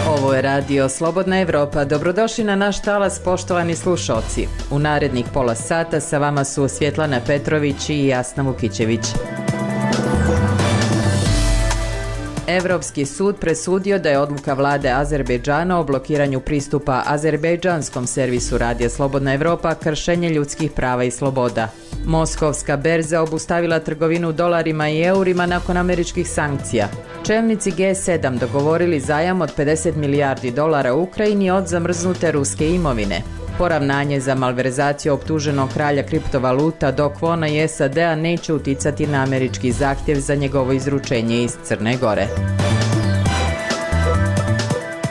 Ovo je radio Slobodna Evropa. Dobrodošli na naš talas, poštovani slušalci. U narednih pola sata sa vama su Svjetlana Petrović i Jasna Vukićević. Evropski sud presudio da je odluka vlade Azerbejdžana o blokiranju pristupa azerbejdžanskom servisu radija Slobodna Evropa kršenje ljudskih prava i sloboda. Moskovska berza obustavila trgovinu dolarima i eurima nakon američkih sankcija. Čelnici G7 dogovorili zajam od 50 milijardi dolara Ukrajini od zamrznute ruske imovine. Poravnanje za malverzaciju optuženog kralja kriptovaluta Dok Vona i SAD-a neće uticati na američki zahtjev za njegovo izručenje iz Crne Gore.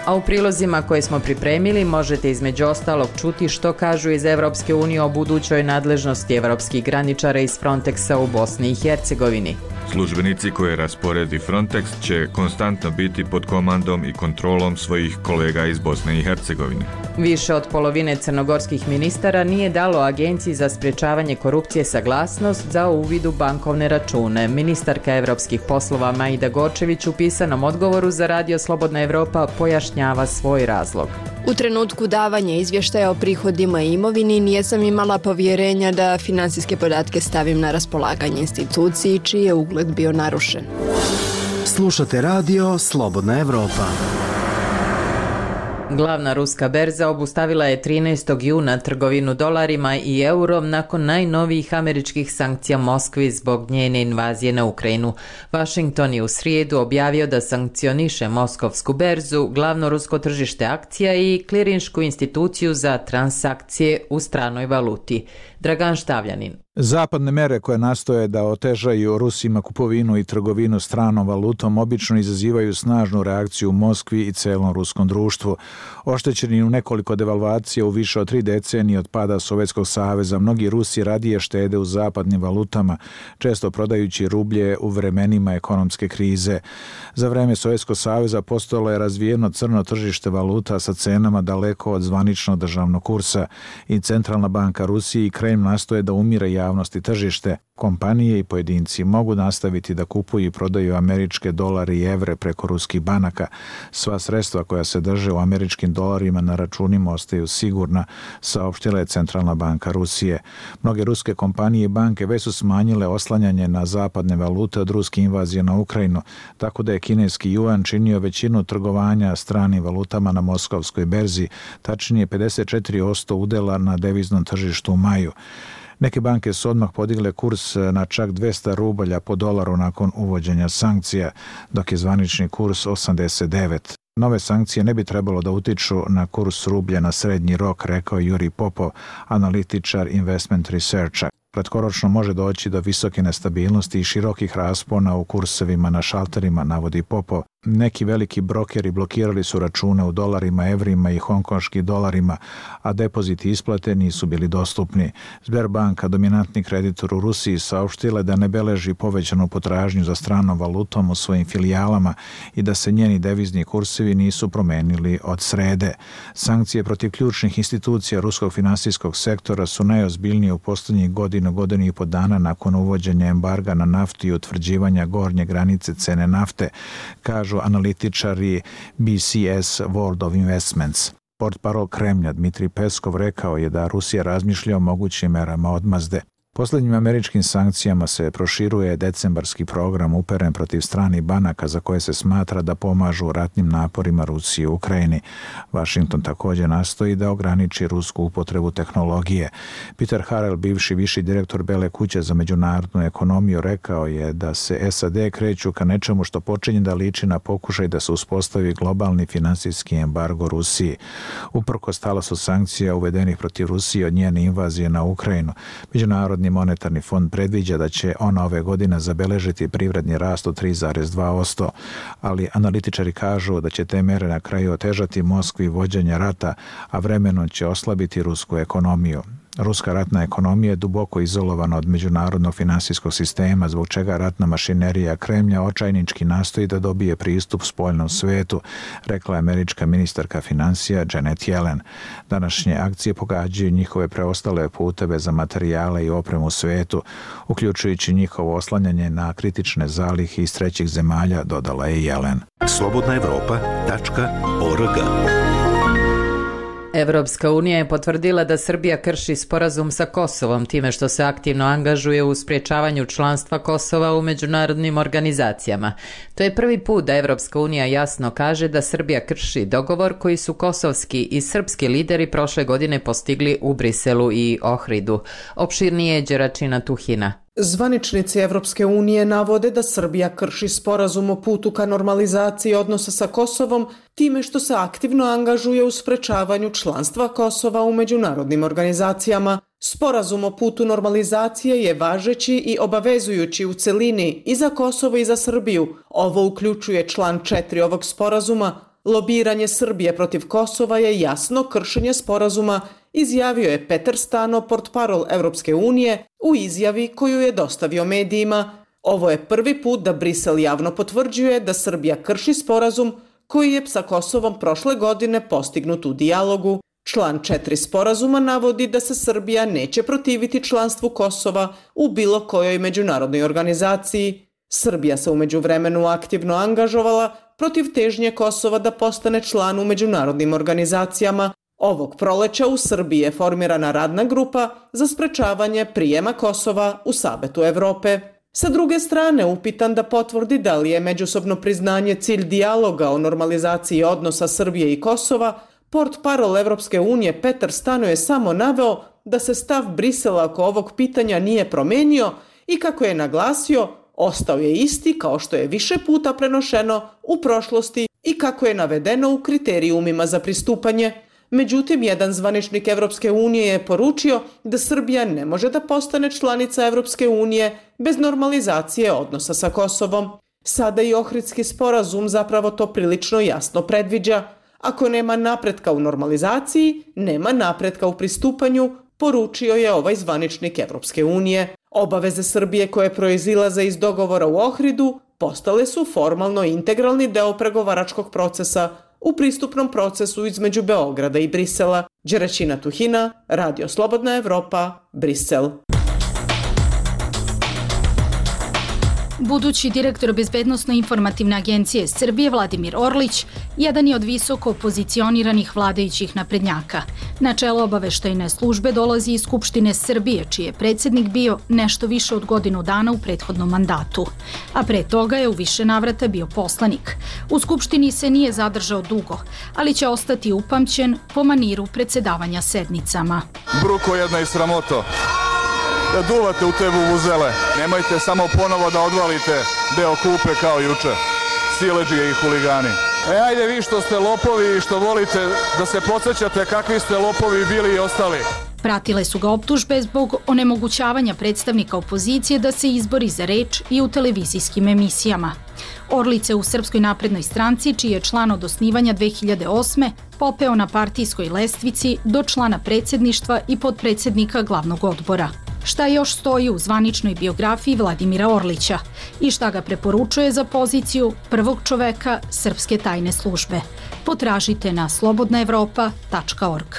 A u prilozima koje smo pripremili možete između ostalog čuti što kažu iz Evropske unije o budućoj nadležnosti evropskih graničara iz Frontexa u Bosni i Hercegovini. Službenici koje rasporedi Frontex će konstantno biti pod komandom i kontrolom svojih kolega iz Bosne i Hercegovine. Više od polovine crnogorskih ministara nije dalo Agenciji za sprječavanje korupcije saglasnost za uvid u bankovne račune. Ministarka evropskih poslova Majda Gorčević u pisanom odgovoru za radio Slobodna Evropa pojašnjava svoj razlog. U trenutku davanja izvještaja o prihodima i imovini nisam imala povjerenja da finansijske podatke stavim na raspolaganje instituciji čiji je ugled bio narušen. Slušate radio Slobodna Evropa. Glavna ruska berza obustavila je 13. juna trgovinu dolarima i eurom nakon najnovijih američkih sankcija Moskvi zbog njene invazije na Ukrajinu. Washington je u srijedu objavio da sankcioniše Moskovsku berzu, glavno rusko tržište akcija i klirinšku instituciju za transakcije u stranoj valuti. Dragan Štavljanin. Zapadne mere koje nastoje da otežaju Rusima kupovinu i trgovinu stranom valutom obično izazivaju snažnu reakciju u Moskvi i celom ruskom društvu. Oštećeni u nekoliko devalvacija u više od 3 decenije od pada Sovjetskog saveza, mnogi Rusi radije štede u zapadnim valutama, često prodajući rublje u vremenima ekonomske krize. Za vreme Sovjetskog saveza postojalo je razvijeno crno tržište valuta sa cenama daleko od zvaničnog državnog kursa i Centralna banka Rusije i Kremlj nastoje da umire javnosti tržište. Kompanije i pojedinci mogu nastaviti da kupuju i prodaju američke dolare i evre preko ruskih banaka. Sva sredstva koja se drže u američkim dolarima na računima ostaju sigurna, saopštila je Centralna banka Rusije. Mnoge ruske kompanije i banke već su smanjile oslanjanje na zapadne valute od ruske invazije na Ukrajinu, tako da je kineski juan činio većinu trgovanja stranim valutama na Moskovskoj berzi, tačnije 54% udela na deviznom tržištu u maju. Neke banke su odmah podigle kurs na čak 200 rubalja po dolaru nakon uvođenja sankcija, dok je zvanični kurs 89. Nove sankcije ne bi trebalo da utiču na kurs rublja na srednji rok, rekao Juri Popov, analitičar Investment Researcha. Kratkoročno može doći do visoke nestabilnosti i širokih raspona u kursevima na šalterima, navodi Popov. Neki veliki brokeri blokirali su račune u dolarima, evrima i hongkonškim dolarima, a depoziti isplate nisu bili dostupni. Sberbanka, dominantni kreditor u Rusiji, saopštila da ne beleži povećanu potražnju za stranom valutom u svojim filijalama i da se njeni devizni kursevi nisu promenili od srede. Sankcije protiv ključnih institucija ruskog finansijskog sektora su najozbiljnije u posljednjih godinu i po dana nakon uvođenja embarga na naftu i utvrđivanja gornje granice cene nafte, kažu analitičari BCS World of Investments. Portparol Kremlja Dmitrij Peskov rekao je da Rusija razmišlja o mogućim merama odmazde. Posljednjim američkim sankcijama se proširuje decembarski program uperen protiv stranih banaka za koje se smatra da pomažu ratnim naporima Rusije u Ukrajini. Washington također nastoji da ograniči rusku upotrebu tehnologije. Peter Harrell, bivši viši direktor Bele kuće za međunarodnu ekonomiju, rekao je da se SAD kreću ka nečemu što počinje da liči na pokušaj da se uspostavi globalni finansijski embargo Rusiji. Uprkos talasu sankcija uvedenih protiv Rusije od njene invazije na Ukrajinu, Međunarodni monetarni fond predviđa da će ona ove godine zabeležiti privredni rast od 3,2%, ali analitičari kažu da će te mere na kraju otežati Moskvi vođenje rata, a vremenom će oslabiti rusku ekonomiju. Ruska ratna ekonomija je duboko izolovana od međunarodnog finansijskog sistema, zbog čega ratna mašinerija Kremlja očajnički nastoji da dobije pristup spoljnom svetu, rekla je američka ministarka financija Janet Yellen. Današnje akcije pogađaju njihove preostale puteve za materijale i opremu u svetu, uključujući njihovo oslanjanje na kritične zalihe iz trećih zemalja, dodala je Yellen. slobodnaevropa.org. Evropska unija je potvrdila da Srbija krši sporazum sa Kosovom time što se aktivno angažuje u sprječavanju članstva Kosova u međunarodnim organizacijama. To je prvi put da Evropska unija jasno kaže da Srbija krši dogovor koji su kosovski i srpski lideri prošle godine postigli u Briselu i Ohridu. Opširnije je Đeračina Tuhina. Zvaničnici Evropske unije navode da Srbija krši sporazum o putu ka normalizaciji odnosa sa Kosovom time što se aktivno angažuje u sprečavanju članstva Kosova u međunarodnim organizacijama. Sporazum o putu normalizacije je važeći i obavezujući u celini i za Kosovo i za Srbiju. Ovo uključuje član 4 ovog sporazuma. Lobiranje Srbije protiv Kosova je jasno kršenje sporazuma, izjavio je Peter Stano, portparol Evropske unije, u izjavi koju je dostavio medijima. Ovo je prvi put da Brisel javno potvrđuje da Srbija krši sporazum koji je sa Kosovom prošle godine postignut u dijalogu. Član 4 sporazuma navodi da se Srbija neće protiviti članstvu Kosova u bilo kojoj međunarodnoj organizaciji. Srbija se u međuvremenu aktivno angažovala protiv težnje Kosova da postane član u međunarodnim organizacijama. Ovog proleća u Srbiji je formirana radna grupa za sprečavanje prijema Kosova u Savetu Evrope. Sa druge strane, upitan da potvrdi da li je međusobno priznanje cilj dijaloga o normalizaciji odnosa Srbije i Kosova, portparol Evropske unije Peter Stano je samo naveo da se stav Brisela oko ovog pitanja nije promenio i kako je naglasio, ostao je isti kao što je više puta prenošeno u prošlosti i kako je navedeno u kriterijumima za pristupanje. Međutim, jedan zvaničnik Evropske unije je poručio da Srbija ne može da postane članica Evropske unije bez normalizacije odnosa sa Kosovom. Sada i Ohridski sporazum zapravo to prilično jasno predviđa. Ako nema napretka u normalizaciji, nema napretka u pristupanju, poručio je ovaj zvaničnik Evropske unije. Obaveze Srbije koje proizilaze iz dogovora u Ohridu postale su formalno integralni deo pregovaračkog procesa u pristupnom procesu između Beograda i Brisela. Đeračina Tuhina, Radio Slobodna Evropa, Brisel. Budući direktor Bezbednosno-informativne agencije Srbije Vladimir Orlić jedan je od visoko pozicioniranih vladajućih naprednjaka. Na čelo obaveštajne službe dolazi iz Skupštine Srbije, čiji je predsjednik bio nešto više od godinu dana u prethodnom mandatu. A pre toga je u više navrata bio poslanik. U Skupštini se nije zadržao dugo, ali će ostati upamćen po maniru predsjedavanja sednicama. Bruko jedna i sramoto. Da duvate u te vuvuzele. Nemojte samo ponovo da odvalite deo kupe kao juče. Siledžije i huligani. Ajde vi što ste lopovi i što volite da se podsjećate kakvi ste lopovi bili i ostali. Pratile su ga optužbe zbog onemogućavanja predstavnika opozicije da se izbori za reč i u televizijskim emisijama. Orlić se u Srpskoj naprednoj stranci, čiji je član od osnivanja 2008. popeo na partijskoj lestvici do člana predsjedništva i potpredsjednika glavnog odbora. Šta još stoji u zvaničnoj biografiji Vladimira Orlića i šta ga preporučuje za poziciju prvog čoveka Srpske tajne službe? Potražite na slobodnaevropa.org.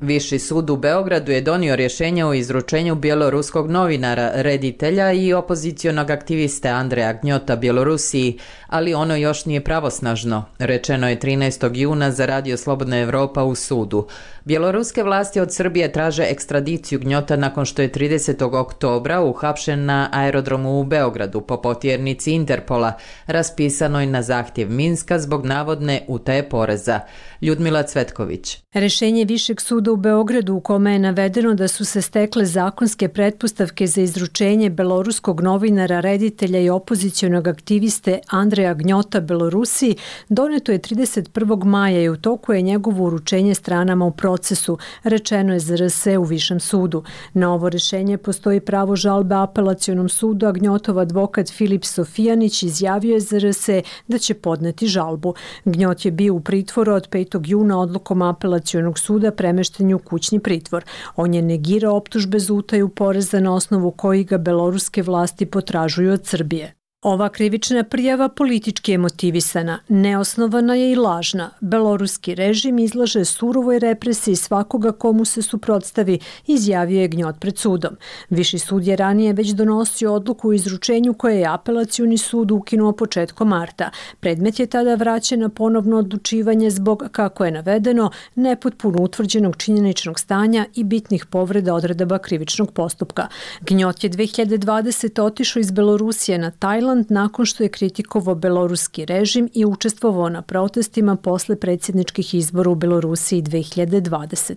Viši sud u Beogradu je donio rješenje o izručenju bjeloruskog novinara, reditelja i opozicionog aktiviste Andreja Gnjota Bjelorusiji, ali ono još nije pravosnažno, rečeno je 13. juna za Radio Slobodna Evropa u sudu. Bjeloruske vlasti od Srbije traže ekstradiciju Gnjota nakon što je 30. oktobra uhapšen na aerodromu u Beogradu po potjernici Interpola, raspisanoj na zahtjev Minska zbog navodne utaje poreza. Ljudmila Cvetković. Rešenje Višeg suda u Beogradu u kome je navedeno da su se stekle zakonske pretpostavke za izručenje beloruskog novinara, reditelja i opozicionog aktiviste Andreja Gnjota Belorusiji doneto je 31. maja i u toku je njegovo uručenje stranama u procesu, rečeno je za RS u Višem sudu. Na ovo rešenje postoji pravo žalbe apelacionom sudu, a Gnjotov advokat Filip Sofijanić izjavio je za RS da će podneti žalbu. Gnjot je bio u pritvoru od 5. 13. juna odlukom apelacionog suda premešten je u kućni pritvor. On je negirao optužbe za utaju poreza na osnovu kojih ga beloruske vlasti potražuju od Srbije. Ova krivična prijava politički je motivisana, neosnovana je i lažna. Beloruski režim izlaže surovoj represiji svakoga komu se suprotstavi, izjavio je Gnjot pred sudom. Viši sud je ranije već donosio odluku o izručenju koje je apelacioni sud ukinuo početkom marta. Predmet je tada vraćen na ponovno odlučivanje zbog, kako je navedeno, nepotpuno utvrđenog činjeničnog stanja i bitnih povreda odredaba krivičnog postupka. Gnjot je 2020. otišao iz Belorusije na Tajland nakon što je kritikovao beloruski režim i učestvovao na protestima posle predsjedničkih izbora u Belorusiji 2020.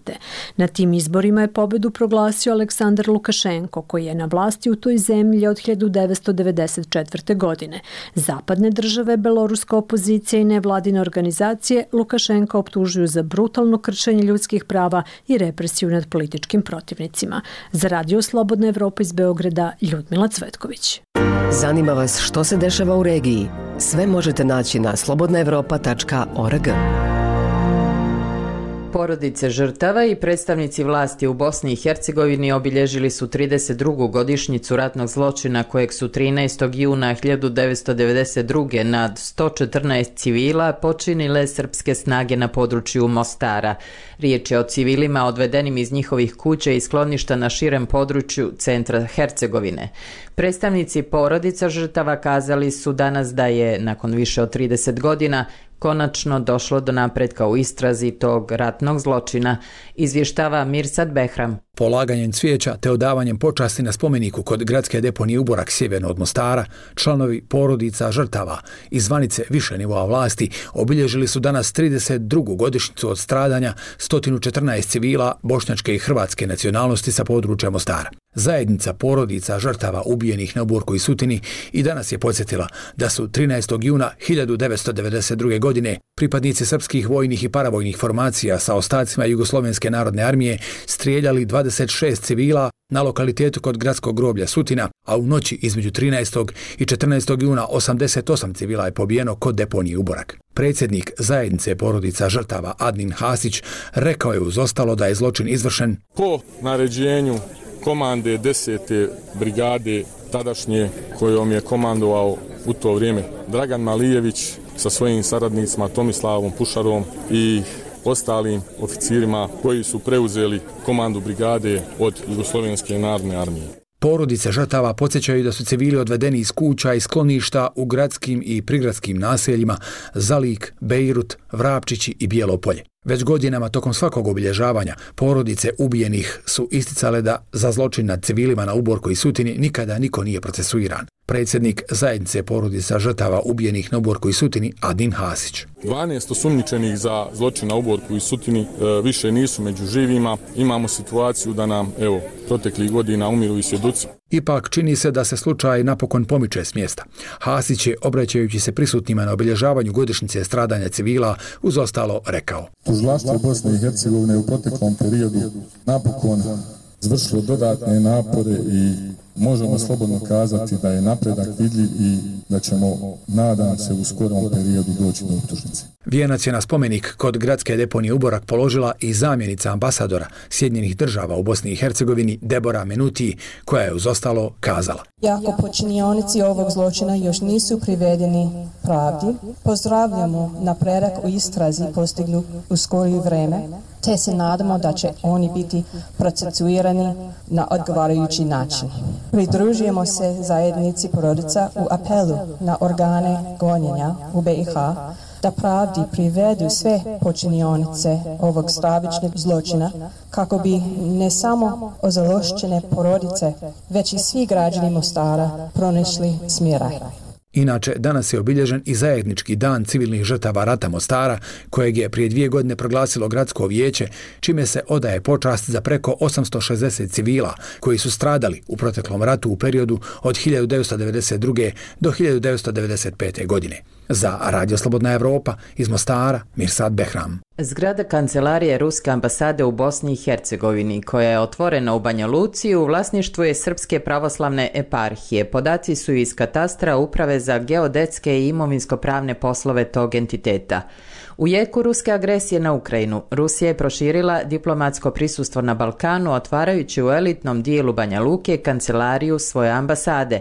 Na tim izborima je pobedu proglasio Aleksandar Lukašenko, koji je na vlasti u toj zemlji od 1994. godine. Zapadne države, beloruska opozicija i nevladine organizacije Lukašenka optužuju za brutalno kršenje ljudskih prava i represiju nad političkim protivnicima. Za Radio Slobodna Evropa iz Beograda, Ljudmila Cvetković. Zanima vas što se dešava u regiji? Sve možete naći na slobodnaevropa.org. Porodice žrtava i predstavnici vlasti u Bosni i Hercegovini obilježili su 32. godišnjicu ratnog zločina kojeg su 13. juna 1992. nad 114 civila počinile srpske snage na području Mostara. Riječ je o civilima odvedenim iz njihovih kuća i skloništa na širem području centra Hercegovine. Predstavnici porodica žrtava kazali su danas da je, nakon više od 30 godina, konačno došlo do napretka u istrazi tog ratnog zločina, izvještava Mirsad Behram. Polaganjem cvijeća te odavanjem počasti na spomeniku kod gradske deponije Uborak sjeverno od Mostara, članovi porodica žrtava i zvanice više nivoa vlasti obilježili su danas 32. godišnjicu od stradanja 114 civila bošnjačke i hrvatske nacionalnosti sa područja Mostara. Zajednica porodica žrtava ubijenih na Uborku i Sutini i danas je podsjetila da su 13. juna 1992. godine pripadnici srpskih vojnih i paravojnih formacija sa ostacima Jugoslovenske narodne armije strijeljali 26 civila na lokalitetu kod gradskog groblja Sutina, a u noći između 13. i 14. juna 88 civila je pobijeno kod deponije Uborak. Predsjednik zajednice porodica žrtava Adnin Hasić rekao je uz ostalo da je zločin izvršen po naređenju komande 10. brigade tadašnje kojom je komandovao u to vrijeme Dragan Malijević sa svojim saradnicima Tomislavom Pušarom i ostalim oficirima koji su preuzeli komandu brigade od Jugoslovenske narodne armije. Porodice žrtava podsjećaju da su civili odvedeni iz kuća i skloništa u gradskim i prigradskim naseljima Zalik, Bejrut, Vrapčići i Bijelo Polje. Već godinama tokom svakog obilježavanja porodice ubijenih su isticale da za zločin nad civilima na Uborku i Sutini nikada niko nije procesuiran. Predsjednik zajednice porodica žrtava ubijenih na Uborku i Sutini Adin Hasić. 12 osumnjičenih za zločin na Uborku i Sutini više nisu među živima. Imamo situaciju da nam, proteklih godina umiru i svjedoci. Ipak čini se da se slučaj napokon pomiče s mjesta. Hasić je, obraćajući se prisutnima na obilježavanju godišnjice stradanja civila, uz ostalo rekao: Tužilaštvo Bosne i Hercegovine u proteklom periodu napokon izvršilo dodatne napore i možemo slobodno kazati da je napredak vidljiv i da ćemo, nadam se, u skorom periodu doći do optužnice. Vijenac je na spomenik kod gradske deponije Uborak položila i zamjenica ambasadora Sjedinjenih država u Bosni i Hercegovini Debora Menuti, koja je uz ostalo kazala: Iako počinionici ovog zločina još nisu privedeni pravdi, pozdravljamo napredak u istrazi postignu u skorije vreme, te se nadamo da će oni biti procesuirani na odgovarajući način. Pridružujemo se zajednici porodica u apelu na organe gonjenja u BiH da pravdi privedu sve počinionice ovog stravičnog zločina kako bi ne samo ozalošćene porodice, već i svi građani Mostara pronašli smiraj. Inače, danas je obilježen i zajednički dan civilnih žrtava rata Mostara, kojeg je prije 2 godine proglasilo gradsko vijeće, čime se odaje počast za preko 860 civila koji su stradali u proteklom ratu u periodu od 1992. do 1995. godine. Za Radio Slobodna Evropa iz Mostara, Mirsad Behram. Zgrada kancelarije Ruske ambasade u Bosni i Hercegovini, koja je otvorena u Banja Luci, u vlasništvu je Srpske pravoslavne eparhije. Podaci su iz katastra Uprave za geodetske i imovinsko-pravne poslove tog entiteta. U jeku ruske agresije na Ukrajinu, Rusija je proširila diplomatsko prisustvo na Balkanu, otvarajući u elitnom dijelu Banja Luke kancelariju svoje ambasade.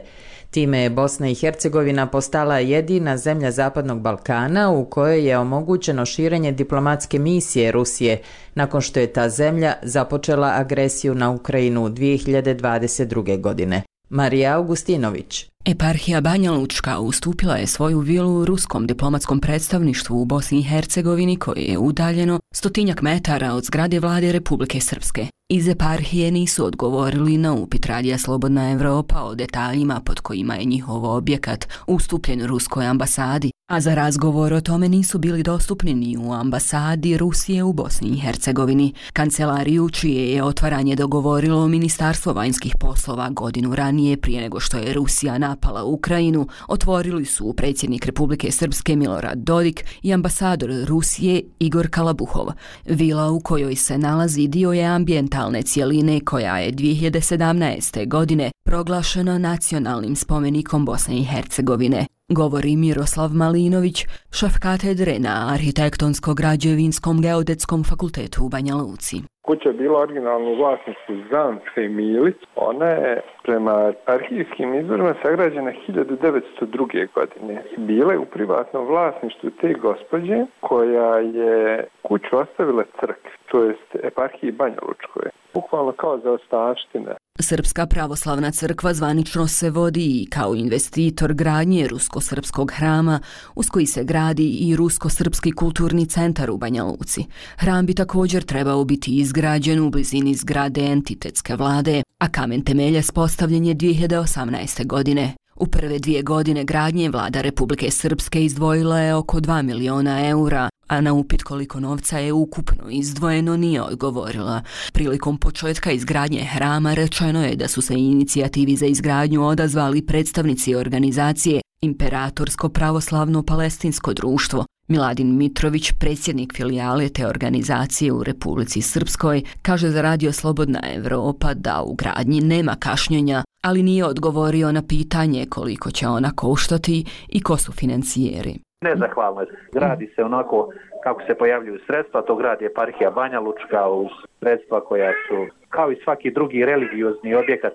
Time je Bosna i Hercegovina postala jedina zemlja Zapadnog Balkana u kojoj je omogućeno širenje diplomatske misije Rusije, nakon što je ta zemlja započela agresiju na Ukrajinu 2022. godine. Marija Augustinović. Eparhija Banja Lučka ustupila je svoju vilu ruskom diplomatskom predstavništvu u Bosni i Hercegovini koje je udaljeno 100 metara od zgrade vlade Republike Srpske. Iz eparhije nisu odgovorili na upit Radija Slobodna Evropa o detaljima pod kojima je njihov objekat ustupljen ruskoj ambasadi, a za razgovor o tome nisu bili dostupni ni u ambasadi Rusije u Bosni i Hercegovini. Kancelariju, čije je otvaranje dogovorilo Ministarstvo vanjskih poslova godinu ranije prije nego što je Rusija napala Ukrajinu, otvorili su predsjednik Republike Srpske Milorad Dodik i ambasador Rusije Igor Kalabuhov. Vila u kojoj se nalazi dio je ambijentalne cijeline koja je 2017. godine proglašena nacionalnim spomenikom Bosne i Hercegovine. Govori Miroslav Malinović, šef katedre na Arhitektonsko-građevinskom geodetskom fakultetu u Banja Luci. Kuća je bila originalno u vlasništvu Zance i Milić. Ona je prema arhivskim izvorima sagrađena 1902. godine. Bila je u privatnom vlasništvu te gospođe koja je kuću ostavila crkvi, to jest eparhiji Banja Lučkoj. Bukvalno kao za ostavštine. Srpska pravoslavna crkva zvanično se vodi i kao investitor gradnje rusko-srpskog hrama, uz koji se gradi i rusko-srpski kulturni centar u Banja Luci. Hram bi također trebao biti izgrađen u blizini zgrade entitetske vlade, a kamen temeljac postavljen je 2018. godine. U prve 2 godine gradnje vlada Republike Srpske izdvojila je oko 2 miliona eura, a na upit koliko novca je ukupno izdvojeno nije odgovorila. Prilikom početka izgradnje hrama rečeno je da su se inicijativi za izgradnju odazvali predstavnici organizacije Imperatorsko pravoslavno palestinsko društvo. Miladin Mitrović, predsjednik filijale te organizacije u Republici Srpskoj, kaže za Radio Slobodna Evropa da u gradnji nema kašnjenja, ali nije odgovorio na pitanje koliko će ona koštati i ko su financijeri. Nezahvalno je. Gradi se onako kako se pojavljuju sredstva, to gradi eparhija Banja Lučka uz sredstva koja su kao i svaki drugi religiozni objekat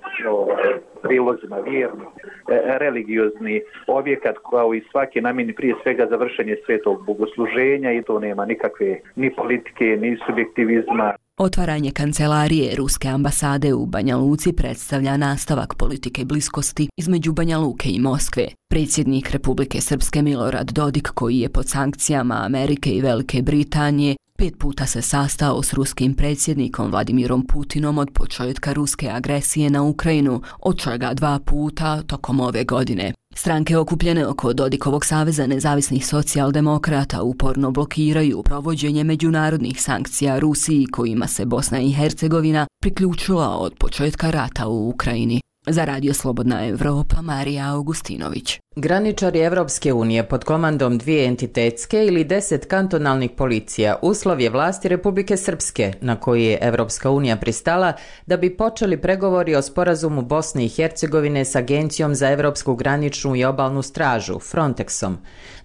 prilozima vjerni, religiozni objekat kao i svaki namjeni prije svega za vršenje svetog bogosluženja i to nema nikakve ni politike ni subjektivizma. Otvaranje kancelarije Ruske ambasade u Banja Luci predstavlja nastavak politike bliskosti između Banja Luke i Moskve. Predsjednik Republike Srpske Milorad Dodik, koji je pod sankcijama Amerike i Velike Britanije, 5 puta se sastao s ruskim predsjednikom Vladimirom Putinom od početka ruske agresije na Ukrajinu, od čega 2 puta tokom ove godine. Stranke okupljene oko Dodikovog saveza nezavisnih socijaldemokrata uporno blokiraju provođenje međunarodnih sankcija Rusiji kojima se Bosna i Hercegovina priključila od početka rata u Ukrajini. Za Radio Slobodna Evropa, Marija Augustinović. Graničari Evropske unije pod komandom 2 entitetske ili 10 kantonalnih policija uslov je vlasti Republike Srpske na koji je Evropska unija pristala da bi počeli pregovori o sporazumu Bosne i Hercegovine s Agencijom za Evropsku graničnu i obalnu stražu, Frontexom.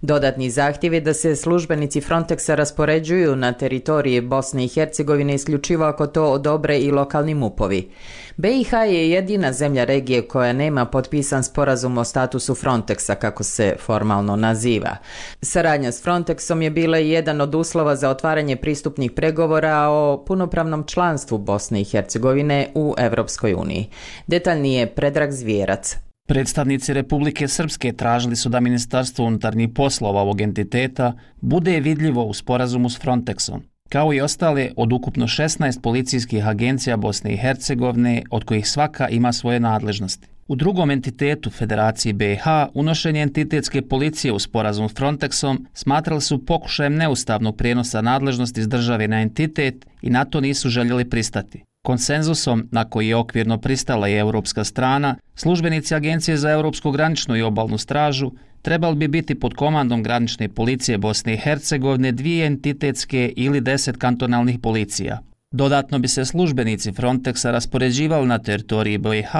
Dodatni zahtjev je da se službenici Frontexa raspoređuju na teritoriji Bosne i Hercegovine isključivo ako to odobre i lokalni MUP-ovi. BiH je jedina zemlja regije koja nema potpisan sporazum o statusu Frontexa, kako se formalno naziva. Saradnja s Frontexom je bila i jedan od uslova za otvaranje pristupnih pregovora o punopravnom članstvu Bosne i Hercegovine u Evropskoj uniji. Detaljnije Predrag Zvijerac. Predstavnici Republike Srpske tražili su da Ministarstvo unutarnjih poslova ovog entiteta bude vidljivo u sporazumu s Frontexom, kao i ostale od ukupno 16 policijskih agencija Bosne i Hercegovine, od kojih svaka ima svoje nadležnosti. U drugom entitetu Federaciji BiH unošenje entitetske policije u sporazum s Frontexom smatrali su pokušajem neustavnog prijenosa nadležnosti iz države na entitet i na to nisu željeli pristati. Konsenzusom, na koji je okvirno pristala i europska strana, službenici Agencije za Europsku graničnu i obalnu stražu trebali bi biti pod komandom granične policije Bosne i Hercegovine 2 entitetske ili 10 kantonalnih policija. Dodatno bi se službenici Frontexa raspoređivali na teritoriji BiH,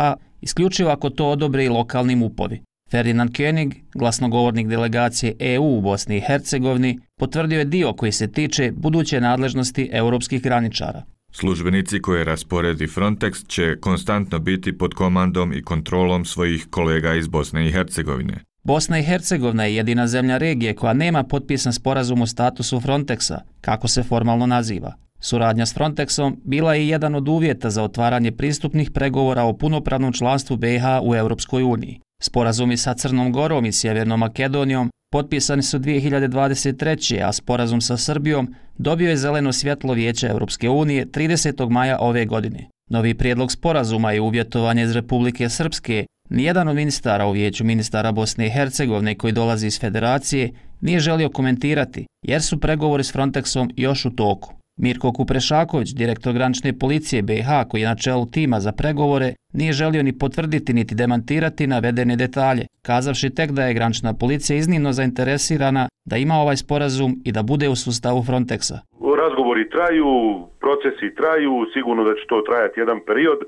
isključivo ako to odobre i lokalni MUP-ovi. Ferdinand König, glasnogovornik delegacije EU u Bosni i Hercegovini, potvrdio je dio koji se tiče buduće nadležnosti europskih graničara. Službenici koje rasporedi Frontex će konstantno biti pod komandom i kontrolom svojih kolega iz Bosne i Hercegovine. Bosna i Hercegovina je jedina zemlja regije koja nema potpisan sporazum o statusu Frontexa, kako se formalno naziva. Suradnja s Frontexom bila je jedan od uvjeta za otvaranje pristupnih pregovora o punopravnom članstvu BiH u Europskoj uniji. Sporazumi sa Crnom Gorom i Sjevernom Makedonijom potpisani su 2023. a sporazum sa Srbijom dobio je zeleno svjetlo Vijeća Europske unije 30. maja ove godine. Novi prijedlog sporazuma je uvjetovanje iz Republike Srpske. Nijedan od ministara u Vijeću ministara Bosne i Hercegovine koji dolazi iz Federacije nije želio komentirati jer su pregovori s Frontexom još u toku. Mirko Kuprešaković, direktor granične policije BiH koji je na čelu tima za pregovore, nije želio ni potvrditi niti demantirati navedene detalje, kazavši tek da je granična policija iznimno zainteresirana da ima ovaj sporazum i da bude u sustavu Frontexa. Razgovori traju, procesi traju, sigurno da će to trajati jedan period,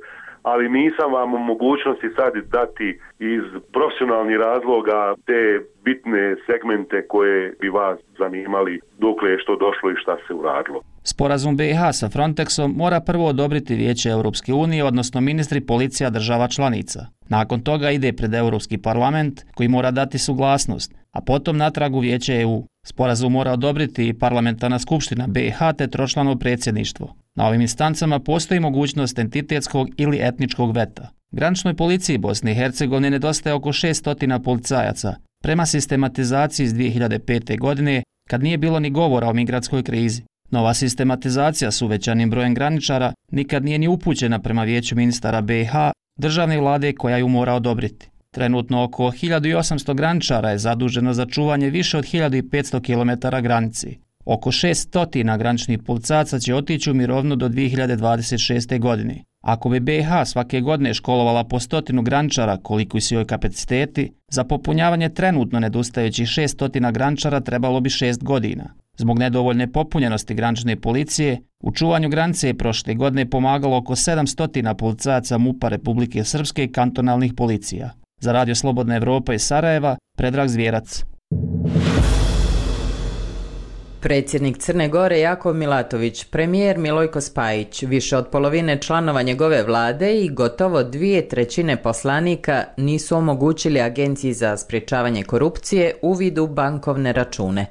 ali nisam vam u mogućnosti sad dati iz profesionalnih razloga te bitne segmente koje bi vas zanimali dokle je što došlo i šta se uradilo. Sporazum BiH sa Frontexom mora prvo odobriti Vijeće Europske unije, odnosno ministri policija država članica. Nakon toga ide pred Europski parlament koji mora dati suglasnost, a potom natrag u Vijeće EU. Sporazum mora odobriti i parlamentarna skupština BiH te tročlano predsjedništvo. Na ovim instancama postoji mogućnost entitetskog ili etničkog veta. Graničnoj policiji Bosne i Hercegovine nedostaje oko 600 policajaca, prema sistematizaciji iz 2005. godine, kad nije bilo ni govora o migratskoj krizi. Nova sistematizacija s uvećanim brojem graničara nikad nije ni upućena prema Vijeću ministara BiH, državne vlade koja ju mora odobriti. Trenutno oko 1800 graničara je zaduženo za čuvanje više od 1500 km granici. Oko 600 graničnih policajaca će otići u mirovinu do 2026. godine. Ako bi BiH svake godine školovala po 100 graničara koliko su joj kapaciteti, za popunjavanje trenutno nedostajućih 600 graničara trebalo bi 6 godina. Zbog nedovoljne popunjenosti granične policije, u čuvanju granice je prošle godine pomagalo oko 700 policajaca MUP-a Republike Srpske i kantonalnih policija. Za Radio Slobodna Evropa iz Sarajeva, Predrag Zvjerac. Predsjednik Crne Gore Jakov Milatović, premijer Milojko Spajić, više od polovine članova njegove vlade i gotovo 2/3 poslanika nisu omogućili Agenciji za sprječavanje korupcije uvid u bankovne račune.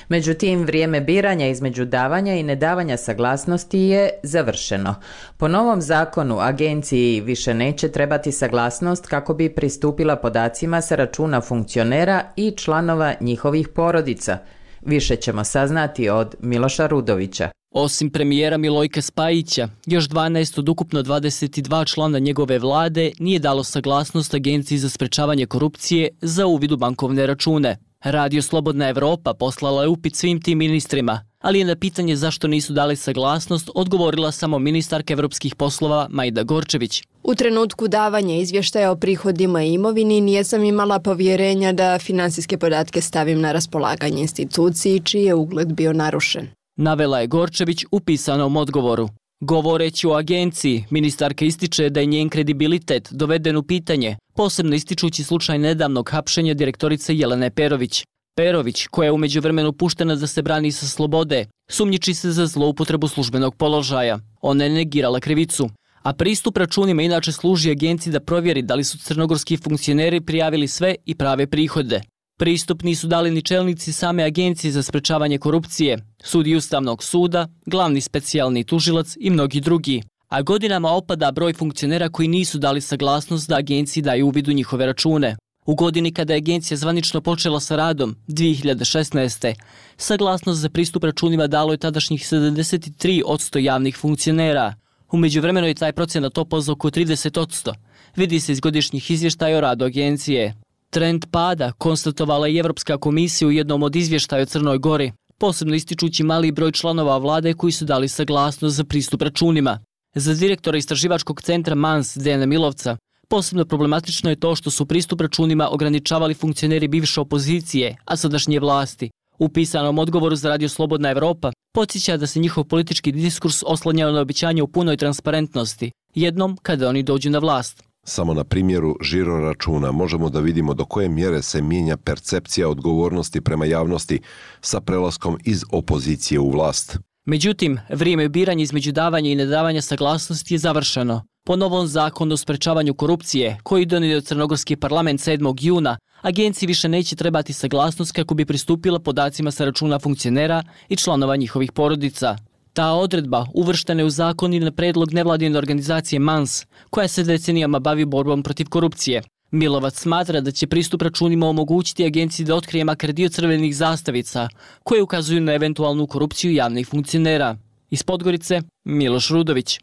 Međutim, vrijeme biranja između davanja i nedavanja saglasnosti je završeno. Po novom zakonu Agenciji više neće trebati saglasnost kako bi pristupila podacima sa računa funkcionera i članova njihovih porodica. Više ćemo saznati od Miloša Rudovića. Osim premijera Milojka Spajića, još 12 od ukupno 22 člana njegove vlade nije dalo saglasnost Agenciji za sprečavanje korupcije za uvid u bankovne račune. Radio Slobodna Evropa poslala je upit svim tim ministrima, ali je na pitanje zašto nisu dali saglasnost odgovorila samo ministarka evropskih poslova Majda Gorčević. U trenutku davanja izvještaja o prihodima i imovini nijesam imala povjerenja da finansijske podatke stavim na raspolaganje instituciji čiji je ugled bio narušen. Navela je Gorčević u pisanom odgovoru. Govoreći o agenciji, ministarka ističe da je njen kredibilitet doveden u pitanje, posebno ističući slučaj nedavnog hapšenja direktorice Jelene Perović. Perović, koja je u međuvremenu puštena da se brani sa slobode, sumnjiči se za zloupotrebu službenog položaja. Ona je negirala krivicu. A pristup računima inače služi agenciji da provjeri da li su crnogorski funkcioneri prijavili sve i prave prihode. Pristup nisu dali ni čelnici same Agencije za sprečavanje korupcije, sudiji Ustavnog suda, glavni specijalni tužilac i mnogi drugi. A godinama opada broj funkcionera koji nisu dali saglasnost da agenciji daju uvid u njihove račune. U godini kada je agencija zvanično počela sa radom, 2016. saglasnost za pristup računima dalo je tadašnjih 73% javnih funkcionera. U međuvremenu je taj procenat opao za oko 30%. Vidi se iz godišnjih izvještaja o radu agencije. Trend pada konstatovala je Evropska komisija u jednom od izvještaja o Crnoj Gori, posebno ističući mali broj članova vlade koji su dali saglasnost za pristup računima. Za direktora istraživačkog centra MANS Dejana Milovca, posebno problematično je to što su pristup računima ograničavali funkcioneri bivše opozicije, a sadašnje vlasti. U pisanom odgovoru za Radio Slobodna Evropa podsjeća da se njihov politički diskurs oslanjao na obećanje u punoj transparentnosti, jednom kada oni dođu na vlast. Samo na primjeru žiroračuna možemo da vidimo do koje mjere se mijenja percepcija odgovornosti prema javnosti sa prelaskom iz opozicije u vlast. Međutim, vrijeme biranja između davanja i nedavanja saglasnosti je završeno. Po novom zakonu o sprečavanju korupcije, koji je donio Crnogorski parlament 7. juna, agenciji više neće trebati saglasnost kako bi pristupila podacima sa računa funkcionera i članova njihovih porodica. Ta odredba uvrštena je u zakon i na predlog nevladine organizacije MANS, koja se decenijama bavi borbom protiv korupcije. Milovac smatra da će pristup računima omogućiti agenciji da otkrije makar dio crvenih zastavica, koje ukazuju na eventualnu korupciju javnih funkcionera. Iz Podgorice, Miloš Rudović.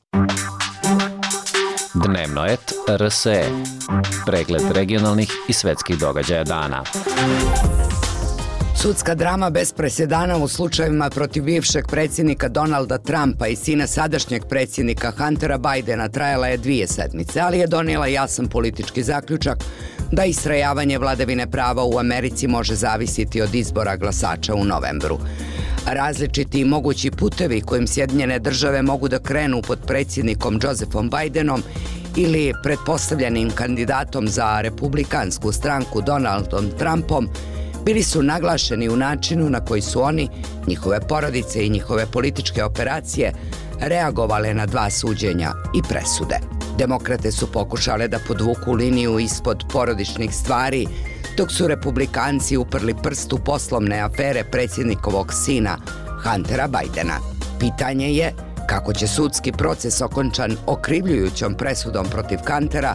Dnevno et RSE. Pregled regionalnih i svetskih događaja dana. Sudska drama bez presedana u slučajevima protiv bivšeg predsjednika Donalda Trumpa i sina sadašnjeg predsjednika Huntera Bidena trajala je 2 sedmice, ali je donijela jasan politički zaključak da istrajavanje vladavine prava u Americi može zavisiti od izbora glasača u novembru. Različiti i mogući putevi kojim Sjedinjene države mogu da krenu pod predsjednikom Josephom Bidenom ili pretpostavljenim kandidatom za republikansku stranku Donaldom Trumpom bili su naglašeni u načinu na koji su oni, njihove porodice i njihove političke operacije reagovale na 2 suđenja i presude. Demokrate su pokušale da podvuku liniju ispod porodičnih stvari, dok su republikanci uprli prst u poslovne afere predsjednikovog sina Huntera Bidena. Pitanje je kako će sudski proces okončan okrivljujućom presudom protiv Huntera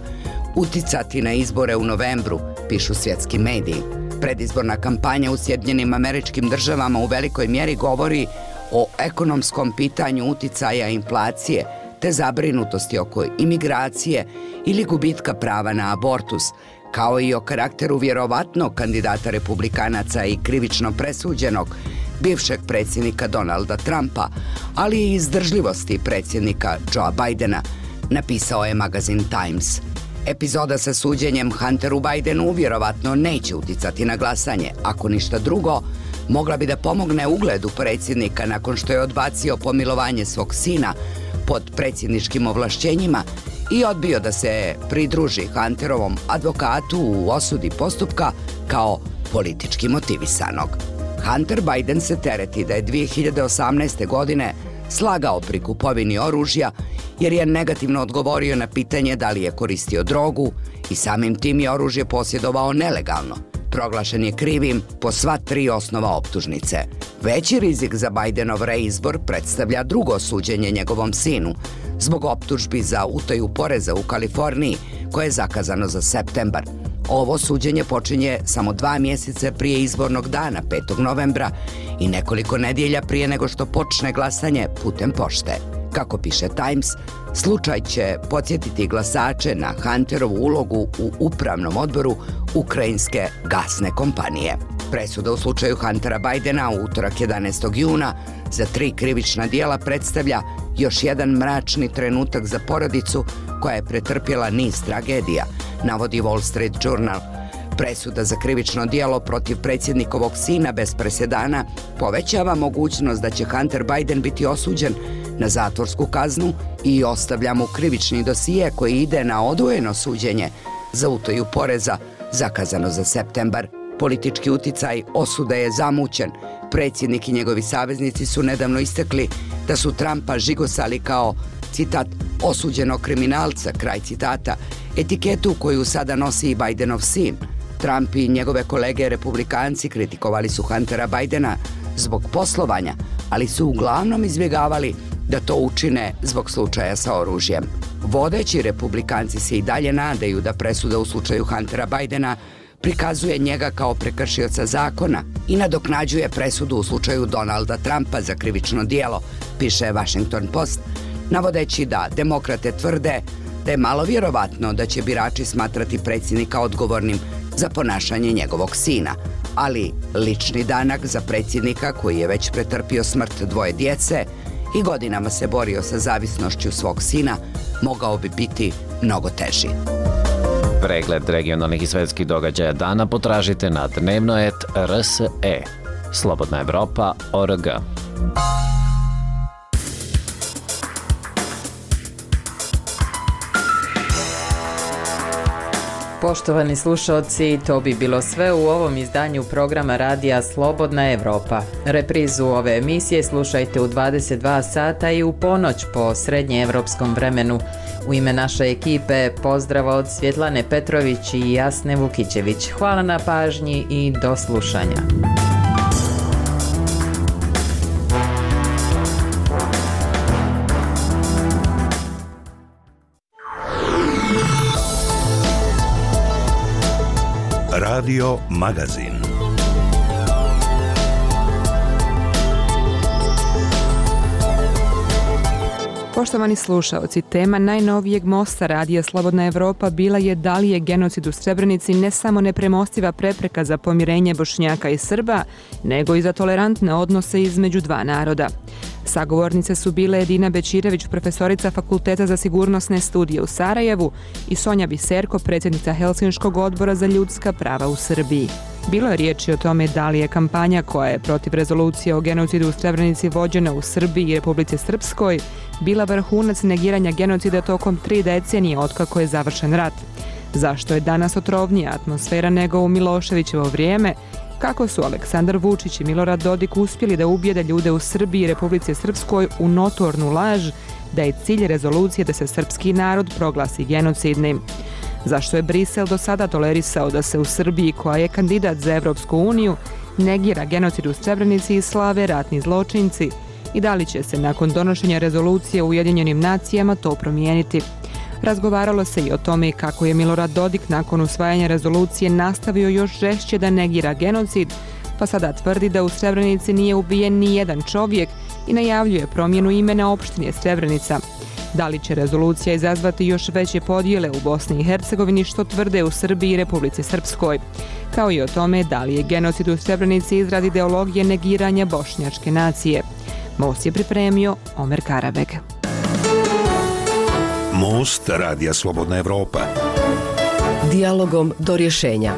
uticati na izbore u novembru, pišu svjetski mediji. Predizborna kampanja u Sjedinjenim Američkim Državama u velikoj mjeri govori o ekonomskom pitanju uticaja inflacije te zabrinutosti oko imigracije ili gubitka prava na abortus, kao i o karakteru vjerovatnog kandidata republikanaca i krivično presuđenog bivšeg predsjednika Donalda Trumpa, ali i izdržljivosti predsjednika Joea Bidena, napisao je magazin Times. Epizoda sa suđenjem Hunteru Bidenu vjerovatno neće uticati na glasanje. Ako ništa drugo, mogla bi da pomogne ugledu predsjednika nakon što je odbacio pomilovanje svog sina pod predsjedničkim ovlašćenjima i odbio da se pridruži Hunterovom advokatu u osudi postupka kao politički motivisanog. Hunter Biden se tereti da je 2018. godine slagao pri kupovini oružja jer je negativno odgovorio na pitanje da li je koristio drogu i samim tim je oružje posjedovao nelegalno. Proglašen je krivim po sva 3 osnova optužnice. Veći rizik za Bidenov reizbor predstavlja drugo suđenje njegovom sinu zbog optužbi za utaju poreza u Kaliforniji koje je zakazano za septembar. Ovo suđenje počinje samo 2 mjeseca prije izbornog dana, 5. novembra, i nekoliko nedjelja prije nego što počne glasanje putem pošte. Kako piše Times, slučaj će podsjetiti glasače na Hunterovu ulogu u upravnom odboru ukrajinske gasne kompanije. Presuda u slučaju Huntera Bidena u utorak 11. juna za 3 krivična djela predstavlja još jedan mračni trenutak za porodicu koja je pretrpjela niz tragedija, navodi Wall Street Journal. Presuda za krivično djelo protiv predsjednikovog sina bez presedana povećava mogućnost da će Hunter Biden biti osuđen na zatvorsku kaznu i ostavlja mu krivični dosije koji ide na odvojeno suđenje za utaju poreza zakazano za septembar. Politički uticaj osude je zamućen. Predsjednik i njegovi saveznici su nedavno istakli da su Trumpa žigosali kao, citat, osuđenog kriminalca, kraj citata, etiketu koju sada nosi i Bidenov sin. Trump i njegove kolege republikanci kritikovali su Huntera Bidena zbog poslovanja, ali su uglavnom izbjegavali da to učine zbog slučaja sa oružjem. Vodeći republikanci se i dalje nadaju da presuda u slučaju Huntera Bidena prikazuje njega kao prekršioca zakona i nadoknađuje presudu u slučaju Donalda Trumpa za krivično djelo, piše Washington Post, navodeći da demokrate tvrde da je malo vjerovatno da će birači smatrati predsjednika odgovornim za ponašanje njegovog sina, ali lični danak za predsjednika koji je već pretrpio smrt 2 djece i godinama se borio sa zavisnošću svog sina mogao bi biti mnogo teži. Pregled regionalnih i svetskih događaja dana potražite na dnevnoet.rse. Slobodna Evropa.org. Poštovani slušalci, to bi bilo sve u ovom izdanju programa radija Slobodna Evropa. Reprizu ove emisije slušajte u 22 sata i u ponoć po srednjeevropskom vremenu. U ime naše ekipe pozdrav od Svjetlane Petrović i Jasne Vukićević. Hvala na pažnji i do slušanja. Radio Magazin. Poštovani slušaoci, tema najnovijeg mosta radija Slobodna Evropa bila je da li je genocid u Srebrenici ne samo nepremostiva prepreka za pomirenje Bošnjaka i Srba, nego i za tolerantne odnose između dva naroda. Sagovornice su bile Edina Bećirević, profesorica Fakulteta za sigurnosne studije u Sarajevu, i Sonja Biserko, predsjednica Helsinškog odbora za ljudska prava u Srbiji. Bilo je riječi o tome da li je kampanja koja je protiv rezolucije o genocidu u Srebrenici vođena u Srbiji i Republici Srpskoj bila vrhunac negiranja genocida tokom 3 decenije otkako je završen rat. Zašto je danas otrovnija atmosfera nego u Miloševićevo vrijeme? Kako su Aleksandar Vučić i Milorad Dodik uspjeli da ubijede ljude u Srbiji i Republici Srpskoj u notornu laž da je cilj rezolucije da se srpski narod proglasi genocidnim? Zašto je Brisel do sada tolerisao da se u Srbiji, koja je kandidat za Evropsku uniju, negira genocid u Srebrenici i slave ratni zločinci? I da li će se nakon donošenja rezolucije u Ujedinjenim nacijama to promijeniti? Razgovaralo se i o tome kako je Milorad Dodik nakon usvajanja rezolucije nastavio još žešće da negira genocid, pa sada tvrdi da u Srebrenici nije ubijen ni jedan čovjek i najavljuje promjenu imena opštine Srebrenica. Da li će rezolucija izazvati još veće podjele u Bosni i Hercegovini, što tvrde u Srbiji i Republici Srpskoj, kao i o tome da li je genocid u Srebrenici izraz ideologije negiranja bošnjačke nacije. Most je pripremio Omer Karabeg. Most radija Slobodna Evropa. Dijalogom do rješenja.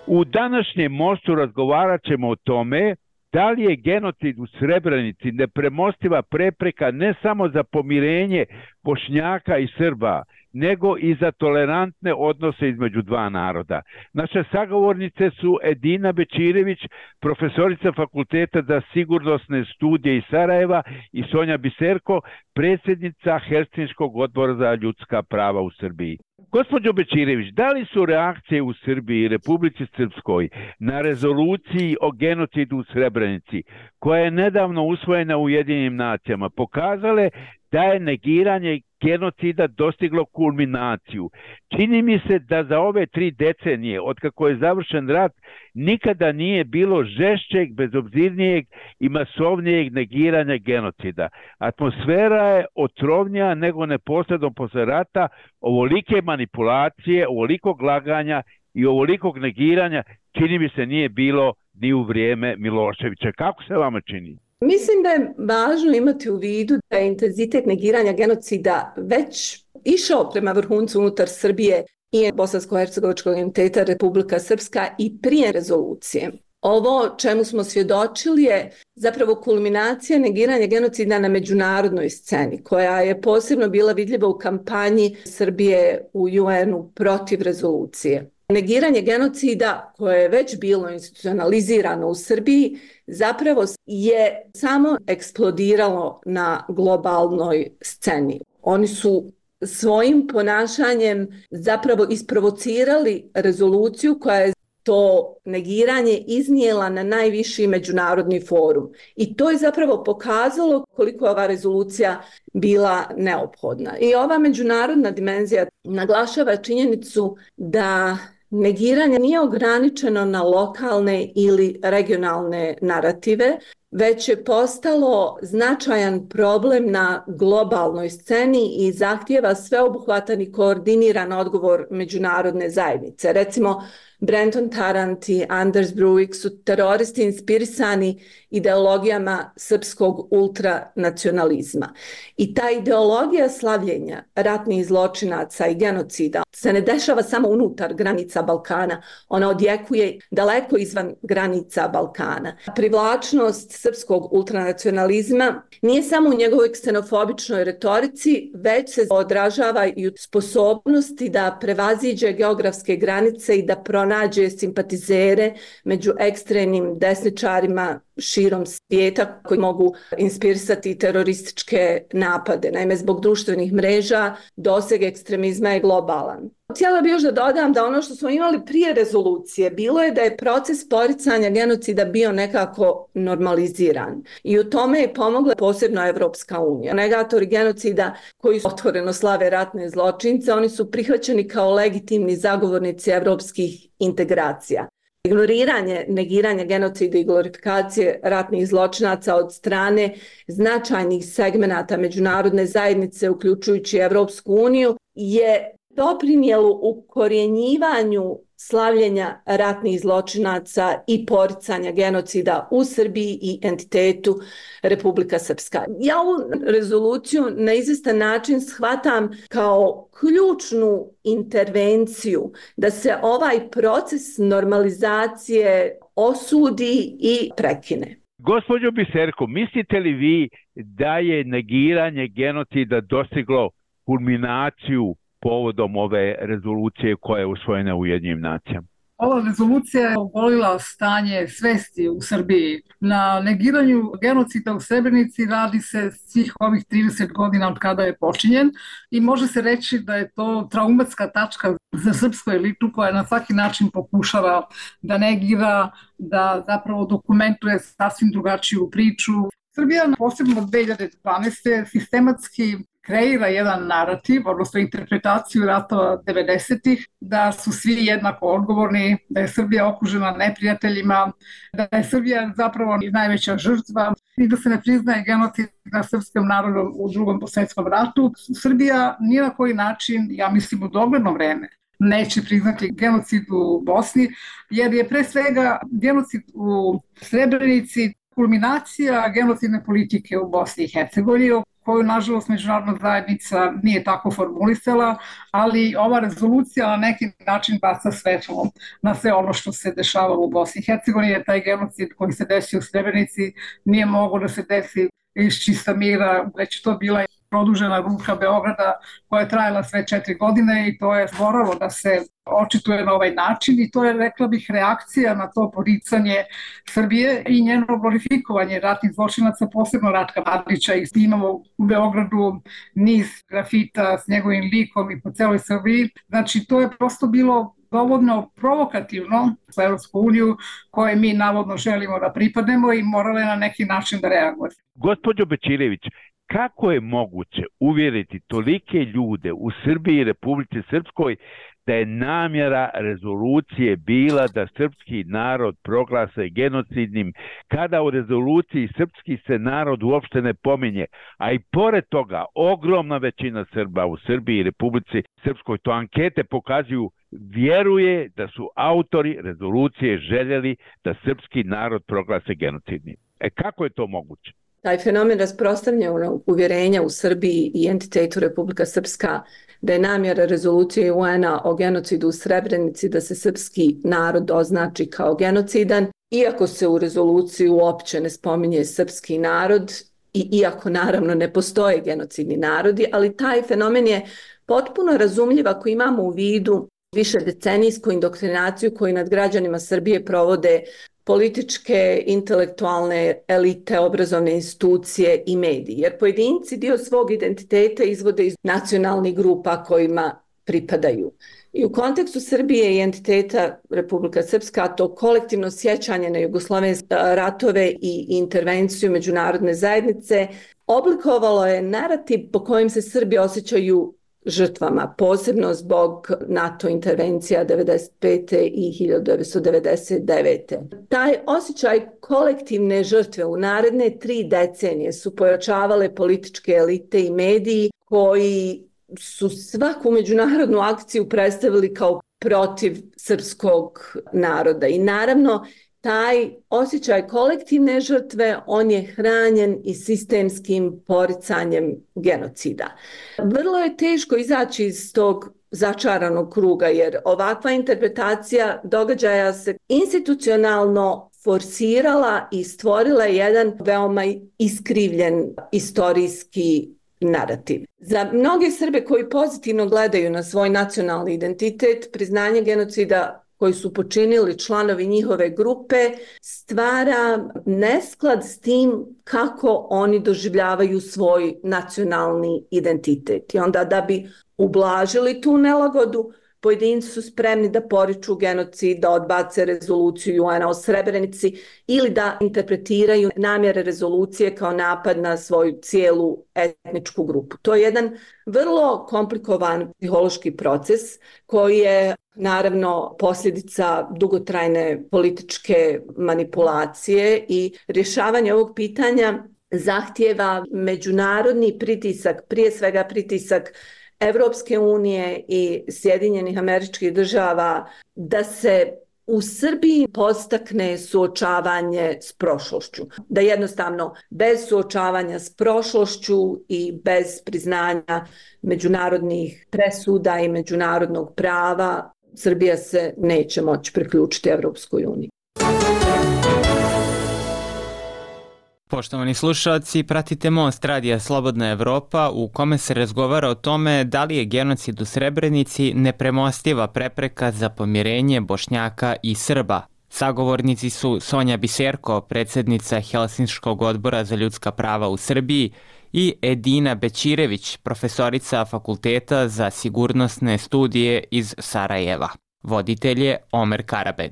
U današnjem mostu razgovarat ćemo o tome da li je genocid u Srebrenici nepremostiva prepreka ne samo za pomirenje Bošnjaka i Srba, nego i za tolerantne odnose između dva naroda. Naše sagovornice su Edina Bećirević, profesorica Fakulteta za sigurnosne studije iz Sarajeva, i Sonja Biserko, predsjednica Helsinškog odbora za ljudska prava u Srbiji. Gospođo Bećirević, da li su reakcije u Srbiji i Republici Srpskoj na rezoluciji o genocidu u Srebrenici, koja je nedavno usvojena u Ujedinjenim nacijama, pokazale da je negiranje genocida dostiglo kulminaciju? Čini mi se da za ove 3 decenije, otkako je završen rat, nikada nije bilo žešćeg, bezobzirnijeg i masovnijeg negiranja genocida. Atmosfera je otrovnija nego neposredno posle rata. Ovolike manipulacije, ovolikog laganja i ovolikog negiranja čini mi se nije bilo ni u vrijeme Miloševića. Kako se vama čini? Mislim da je važno imati u vidu da je intenzitet negiranja genocida već išao prema vrhuncu unutar Srbije i Bosansko-hercegovačkog entiteta Republika Srpska i prije rezolucije. Ovo čemu smo svjedočili je zapravo kulminacija negiranja genocida na međunarodnoj sceni, koja je posebno bila vidljiva u kampanji Srbije u UN-u protiv rezolucije. Negiranje genocida, koje je već bilo institucionalizirano u Srbiji, zapravo je samo eksplodiralo na globalnoj sceni. Oni su svojim ponašanjem zapravo isprovocirali rezoluciju koja je to negiranje iznijela na najviši međunarodni forum. I to je zapravo pokazalo koliko je ova rezolucija bila neophodna. I ova međunarodna dimenzija naglašava činjenicu da negiranje nije ograničeno na lokalne ili regionalne narative, već je postalo značajan problem na globalnoj sceni i zahtijeva sveobuhvatan i koordiniran odgovor međunarodne zajednice. Recimo, Brenton Tarrant i Anders Breivik su teroristi inspirisani ideologijama srpskog ultranacionalizma. I ta ideologija slavljenja ratnih zločinaca i genocida se ne dešava samo unutar granica Balkana, ona odjekuje daleko izvan granica Balkana. Privlačnost srpskog ultranacionalizma nije samo u njegovoj ksenofobičnoj retorici, već se odražava i u sposobnosti da prevaziđe geografske granice i da pronađe simpatizere među ekstremnim desničarima širom svijeta koji mogu inspirisati terorističke napade. Naime, zbog društvenih mreža doseg ekstremizma je globalan. Htjela bih još da dodam da ono što smo imali prije rezolucije bilo je da je proces poricanja genocida bio nekako normaliziran. I u tome je pomogla posebno Evropska unija. Negatori genocida koji otvoreno slave ratne zločince, oni su prihvaćeni kao legitimni zagovornici evropskih integracija. Ignoriranje, negiranje genocida i glorifikacije ratnih zločinaca od strane značajnih segmenata međunarodne zajednice, uključujući Evropsku uniju, je doprinijelo ukorjenjivanju slavljenja ratnih zločinaca i poricanja genocida u Srbiji i entitetu Republika Srpska. Ja ovu rezoluciju na izvestan način shvatam kao ključnu intervenciju da se ovaj proces normalizacije osudi i prekine. Gospođo Biserko, mislite li vi da je negiranje genocida dostiglo kulminaciju povodom ove rezolucije koja je usvojena u Ujedinjenim nacijama? Ova rezolucija je ogolila stanje svesti u Srbiji. Na negiranju genocida u Srebrenici radi se svih ovih 30 godina od kada je počinjen i može se reći da je to traumatska tačka za srpsku elitu koja na svaki način pokušava da negira, da zapravo dokumentuje sasvim drugačiju priču. Srbija, posebno od 2012. sistematski kreira jedan narativ, odnosno interpretaciju ratova 90-ih, da su svi jednako odgovorni, da je Srbija okružena neprijateljima, da je Srbija zapravo najveća žrtva i da se ne priznaje genocid nad srpskim narodom u Drugom svjetskom ratu. Srbija ni na koji način, ja mislim u dogledno vreme, neće priznati genocid u Bosni, jer je pre svega genocid u Srebrenici kulminacija genocidne politike u Bosni i Hercegovini, koju, nažalost, međunarodna zajednica nije tako formulisala, ali ova rezolucija na neki način baca svetlo na sve ono što se dešava u Bosni i Hercegovini, jer taj genocid koji se desio u Srebrenici nije mogao da se desi iz čista mira, već to bila produžena ruka Beograda koja je trajala sve 4 godine i to je moralo da se očituje na ovaj način i to je, rekla bih, reakcija na to poricanje Srbije i njeno glorifikovanje ratnih zločinaca, posebno Ratka Mladića. I imamo u Beogradu niz grafita s njegovim likom i po celoj Srbiji. Znači, to je prosto bilo dovoljno provokativno za Evropsku uniju koje mi navodno želimo da pripadnemo i morale na neki način da reaguje. Gospođo Bečirević, kako je moguće uvjeriti tolike ljude u Srbiji i Republici Srpskoj da je namjera rezolucije bila da srpski narod proglase genocidnim, kada u rezoluciji srpski se narod uopšte ne pominje, a i pored toga ogromna većina Srba u Srbiji i Republici Srpskoj, to ankete pokazuju, vjeruje da su autori rezolucije željeli da srpski narod proglase genocidnim. Kako je to moguće? Taj fenomen rasprostranjenog uvjerenja u Srbiji i entitetu Republika Srpska da je namjera rezolucije UN-a o genocidu u Srebrenici da se srpski narod označi kao genocidan, iako se u rezoluciji uopće ne spominje srpski narod i iako naravno ne postoje genocidni narodi, ali taj fenomen je potpuno razumljiv ako imamo u vidu višedecenijsku indoktrinaciju koju nad građanima Srbije provode političke, intelektualne elite, obrazovne institucije i mediji. Jer pojedinci dio svog identiteta izvode iz nacionalnih grupa kojima pripadaju. I u kontekstu Srbije i entiteta Republika Srpska, to kolektivno sjećanje na jugoslovenske ratove i intervenciju međunarodne zajednice oblikovalo je narativ po kojem se Srbi osjećaju žrtvama, posebno zbog NATO intervencija 1995. i 1999. Taj osjećaj kolektivne žrtve u naredne 3 decenije su pojačavale političke elite i mediji koji su svaku međunarodnu akciju predstavili kao protiv srpskog naroda. I naravno, taj osjećaj kolektivne žrtve, on je hranjen i sistemskim poricanjem genocida. Vrlo je teško izaći iz tog začaranog kruga, jer ovakva interpretacija događaja se institucionalno forsirala i stvorila jedan veoma iskrivljen istorijski narativ. Za mnoge Srbe koji pozitivno gledaju na svoj nacionalni identitet, priznanje genocida koji su počinili članovi njihove grupe stvara nesklad s tim kako oni doživljavaju svoj nacionalni identitet. I onda da bi ublažili tu nelagodu, pojedinci su spremni da poriču genocid, da odbace rezoluciju UN-a o Srebrenici ili da interpretiraju namjere rezolucije kao napad na svoju cijelu etničku grupu. To je jedan vrlo komplikovan psihološki proces koji je naravno posljedica dugotrajne političke manipulacije i rješavanje ovog pitanja zahtijeva međunarodni pritisak, prije svega pritisak Evropske unije i Sjedinjenih Američkih Država da se u Srbiji podstakne suočavanje s prošlošću. Da jednostavno bez suočavanja s prošlošću i bez priznanja međunarodnih presuda i međunarodnog prava Srbija se neće moći priključiti Evropskoj uniji. Poštovani slušalci, pratite Most Radija Slobodna Evropa u kome se razgovara o tome da li je genocid u Srebrenici nepremostiva prepreka za pomirenje Bošnjaka i Srba. Sagovornici su Sonja Biserko, predsjednica Helsinškog odbora za ljudska prava u Srbiji, i Edina Bećirević, profesorica Fakulteta za sigurnosne studije iz Sarajeva. Voditelj je Omer Karabeg.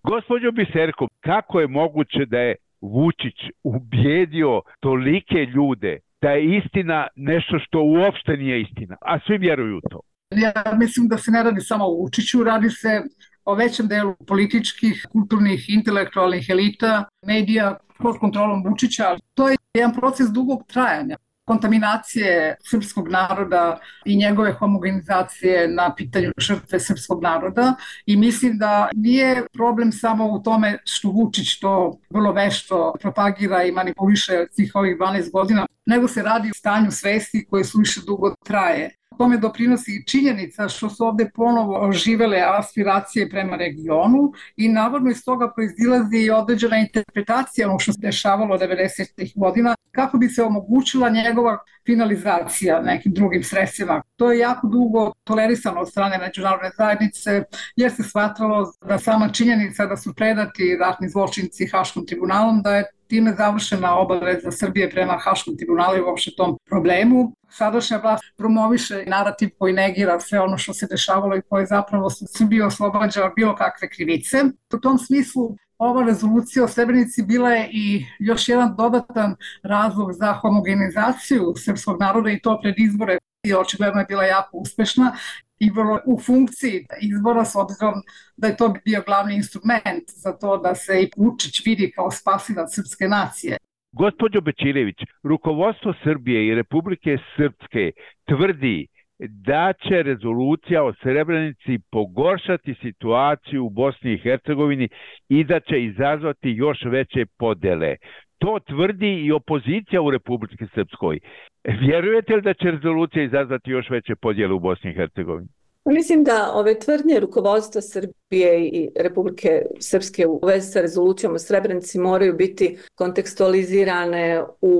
Gospođo Biserko, kako je moguće da je Vučić ubijedio tolike ljude da je istina nešto što uopšte nije istina, a svi vjeruju u to? Ja mislim da se ne radi samo o Vučiću, radi se o većem delu političkih, kulturnih, intelektualnih elita, medija pod kontrolom Vučića. To je jedan proces dugog trajanja. Kontaminacije srpskog naroda i njegove homogenizacije na pitanju žrtve srpskog naroda i mislim da nije problem samo u tome što Vučić to vrlo vešto propagira i manipuliše svih ovih 12 godina, nego se radi o stanju svesti koje suviše dugo traje. Tome doprinosi i činjenica što su ovdje ponovo oživele aspiracije prema regionu i navodno iz toga proizilazi i određena interpretacija ono što se dešavalo 90. godina kako bi se omogućila njegova finalizacija nekim drugim sredstvima. To je jako dugo tolerisano od strane međunarodne zajednice jer se smatralo da sama činjenica da su predati ratni zločinci Haškom tribunalom, da je time završena obaveza Srbije prema Haškom tribunalu i uopšte tom problemu. Sadašnja vlast promoviše narativ koji negira sve ono što se dešavalo i koje zapravo Srbiju oslobađa bilo kakve krivice. U tom smislu ova rezolucija o Srebrenici bila je i još jedan dodatan razlog za homogenizaciju srpskog naroda i to pred izbore i očigledno je bila jako uspešna i vrlo u funkciji izbora s obzirom da je to bio glavni instrument za to da se i Vučić vidi kao spasilac srpske nacije. Gospođo Bećirević, rukovodstvo Srbije i Republike Srpske tvrdi da će rezolucija o Srebrenici pogoršati situaciju u Bosni i Hercegovini i da će izazvati još veće podele. To tvrdi i opozicija u Republike Srpskoj. Vjerujete li da će rezolucija izazvati još veće podjele u Bosni i Hercegovini? Mislim da ove tvrdnje rukovodstva Srbije i Republike Srpske u vezi sa rezolucijom o Srebrenici moraju biti kontekstualizirane u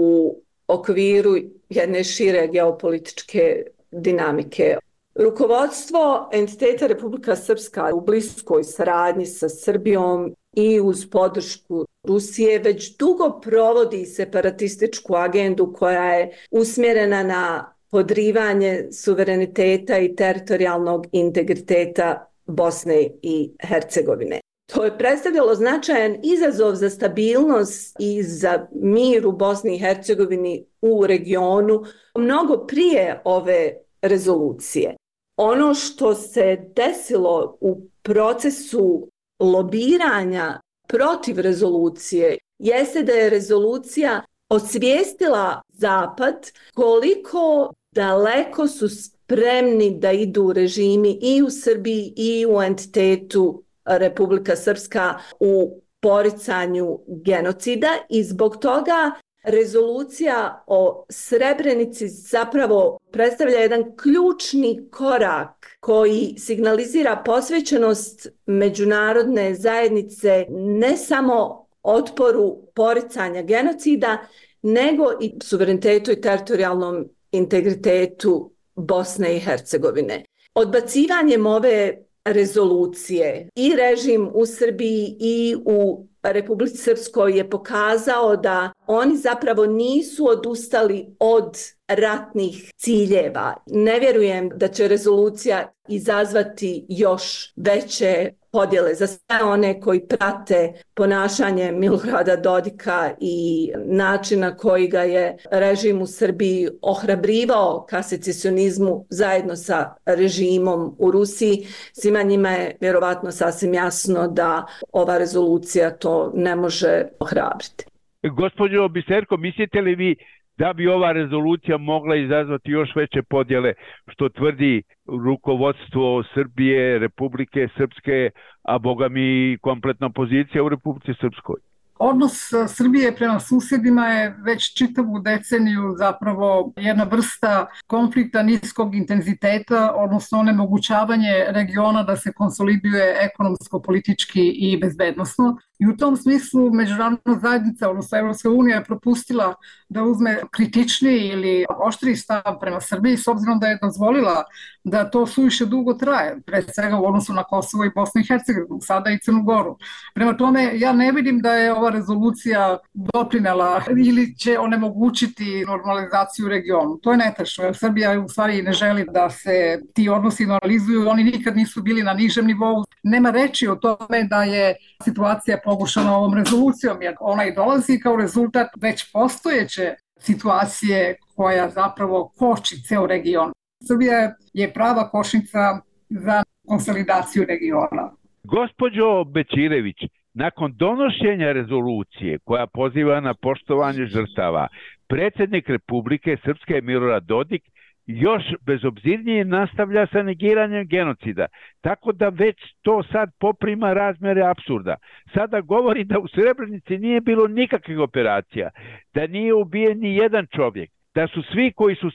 okviru jedne šire geopolitičke dinamike. Rukovodstvo entiteta Republika Srpska u bliskoj saradnji sa Srbijom i uz podršku Rusije već dugo provodi separatističku agendu koja je usmjerena na podrivanje suvereniteta i teritorijalnog integriteta Bosne i Hercegovine. To je predstavljalo značajan izazov za stabilnost i za mir u Bosni i Hercegovini u regionu mnogo prije ove rezolucije. Ono što se desilo u procesu lobiranja protiv rezolucije jeste da je rezolucija osvijestila Zapad koliko daleko su spremni da idu režimi i u Srbiji i u entitetu Republika Srpska u poricanju genocida i zbog toga rezolucija o Srebrenici zapravo predstavlja jedan ključni korak koji signalizira posvećenost međunarodne zajednice ne samo otporu poricanja genocida, nego i suverenitetu i teritorijalnom integritetu Bosne i Hercegovine. Odbacivanjem ove rezolucije i režim u Srbiji i u Republici Srpskoj je pokazao da oni zapravo nisu odustali od ratnih ciljeva. Ne vjerujem da će rezolucija izazvati još veće podjele za sve one koji prate ponašanje Milorada Dodika i način na koji ga je režim u Srbiji ohrabrivao ka secesionizmu zajedno sa režimom u Rusiji. Svima njima je vjerovatno sasvim jasno da ova rezolucija to ne može ohrabriti. Gospođo Biserko, mislite li vi da bi ova rezolucija mogla izazvati još veće podjele, što tvrdi rukovodstvo Srbije, Republike Srpske, a boga mi kompletna opozicija u Republici Srpskoj? Odnos Srbije prema susjedima je već čitavu deceniju zapravo jedna vrsta konflikta niskog intenziteta, odnosno onemogućavanje regiona da se konsoliduje ekonomsko, politički i bezbednosno. I u tom smislu međunarodna zajednica, odnosno Evropska unija, je propustila da uzme kritičniji ili oštriji stav prema Srbiji, s obzirom da je dozvolila da to suviše dugo traje, pre svega u odnosu na Kosovo i Bosnu i Hercegovinu, sada i Crnu Goru. Prema tome, ja ne vidim da je ova rezolucija doprinela ili će onemogućiti normalizaciju u regionu. To je netačno, jer Srbija u stvari ne želi da se ti odnosi normalizuju, oni nikad nisu bili na nižem nivou. Nema reči o tome da je situacija pogušana ovom rezolucijom, jer ona i dolazi kao rezultat već postojeće situacije koja zapravo koči ceo region. Srbija je prava kočnica za konsolidaciju regiona. Gospođo Bećirević, nakon donošenja rezolucije koja poziva na poštovanje žrtava, predsjednik Republike Srpske Milorad Dodik još bezobzirnije nastavlja sa negiranjem genocida, tako da već to sad poprima razmjere apsurda. Sada govori da u Srebrenici nije bilo nikakvih operacija, da nije ubijen ni jedan čovjek, da su svi koji su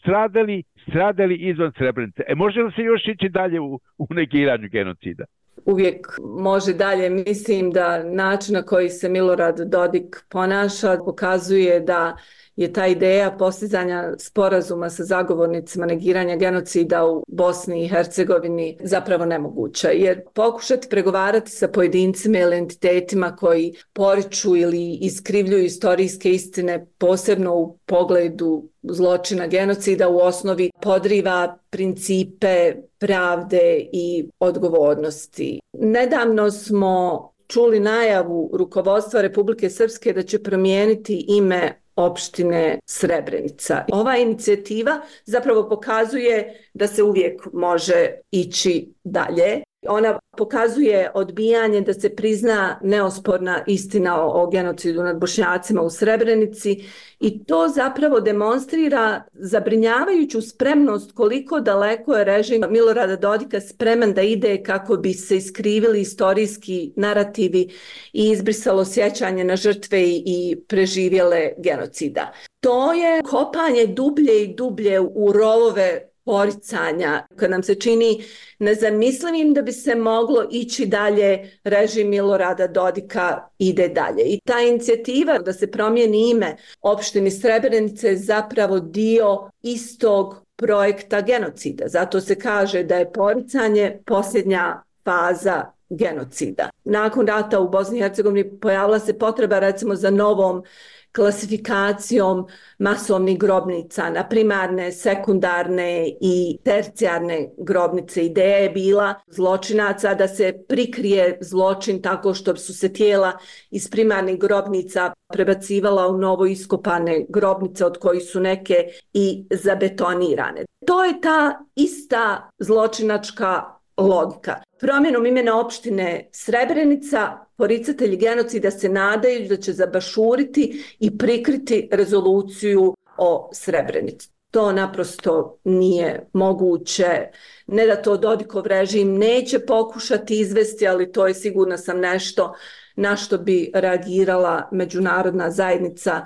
stradali izvan Srebrenice. Može li se još ići dalje u negiranju genocida? Uvijek može dalje. Mislim da način na koji se Milorad Dodik ponaša pokazuje da je ta ideja postizanja sporazuma sa zagovornicima negiranja genocida u Bosni i Hercegovini zapravo nemoguća. Jer pokušati pregovarati sa pojedincima ili entitetima koji poriču ili iskrivljuju istorijske istine, posebno u pogledu zločina genocida, u osnovi podriva principe pravde i odgovornosti. Nedavno smo čuli najavu rukovodstva Republike Srpske da će promijeniti ime opštine Srebrenica. Ova inicijativa zapravo pokazuje da se uvijek može ići dalje. Ona pokazuje odbijanje da se prizna neosporna istina o genocidu nad Bošnjacima u Srebrenici i to zapravo demonstrira zabrinjavajuću spremnost koliko daleko je režim Milorada Dodika spreman da ide kako bi se iskrivili istorijski narativi i izbrisalo sjećanje na žrtve i preživjele genocida. To je kopanje dublje i dublje u rovove poricanja, kad nam se čini nezamislivim da bi se moglo ići dalje, režim Milorada Dodika ide dalje. I ta inicijativa da se promijeni ime opštini Srebrenice je zapravo dio istog projekta genocida. Zato se kaže da je poricanje posljednja faza genocida. Nakon rata u Bosni i Hercegovini pojavila se potreba recimo za novom klasifikacijom masovnih grobnica na primarne, sekundarne i tercijarne grobnice. Ideja je bila zločinaca da se prikrije zločin tako što su se tijela iz primarnih grobnica prebacivala u novo iskopane grobnice od kojih su neke i zabetonirane. To je ta ista zločinačka logika. Promjenom imena opštine Srebrenica poricatelji genocida se nadaju da će zabašuriti i prikriti rezoluciju o Srebrenici. To naprosto nije moguće. Ne da to Dodikov režim neće pokušati izvesti, ali to je, sigurna sam, nešto na što bi reagirala međunarodna zajednica,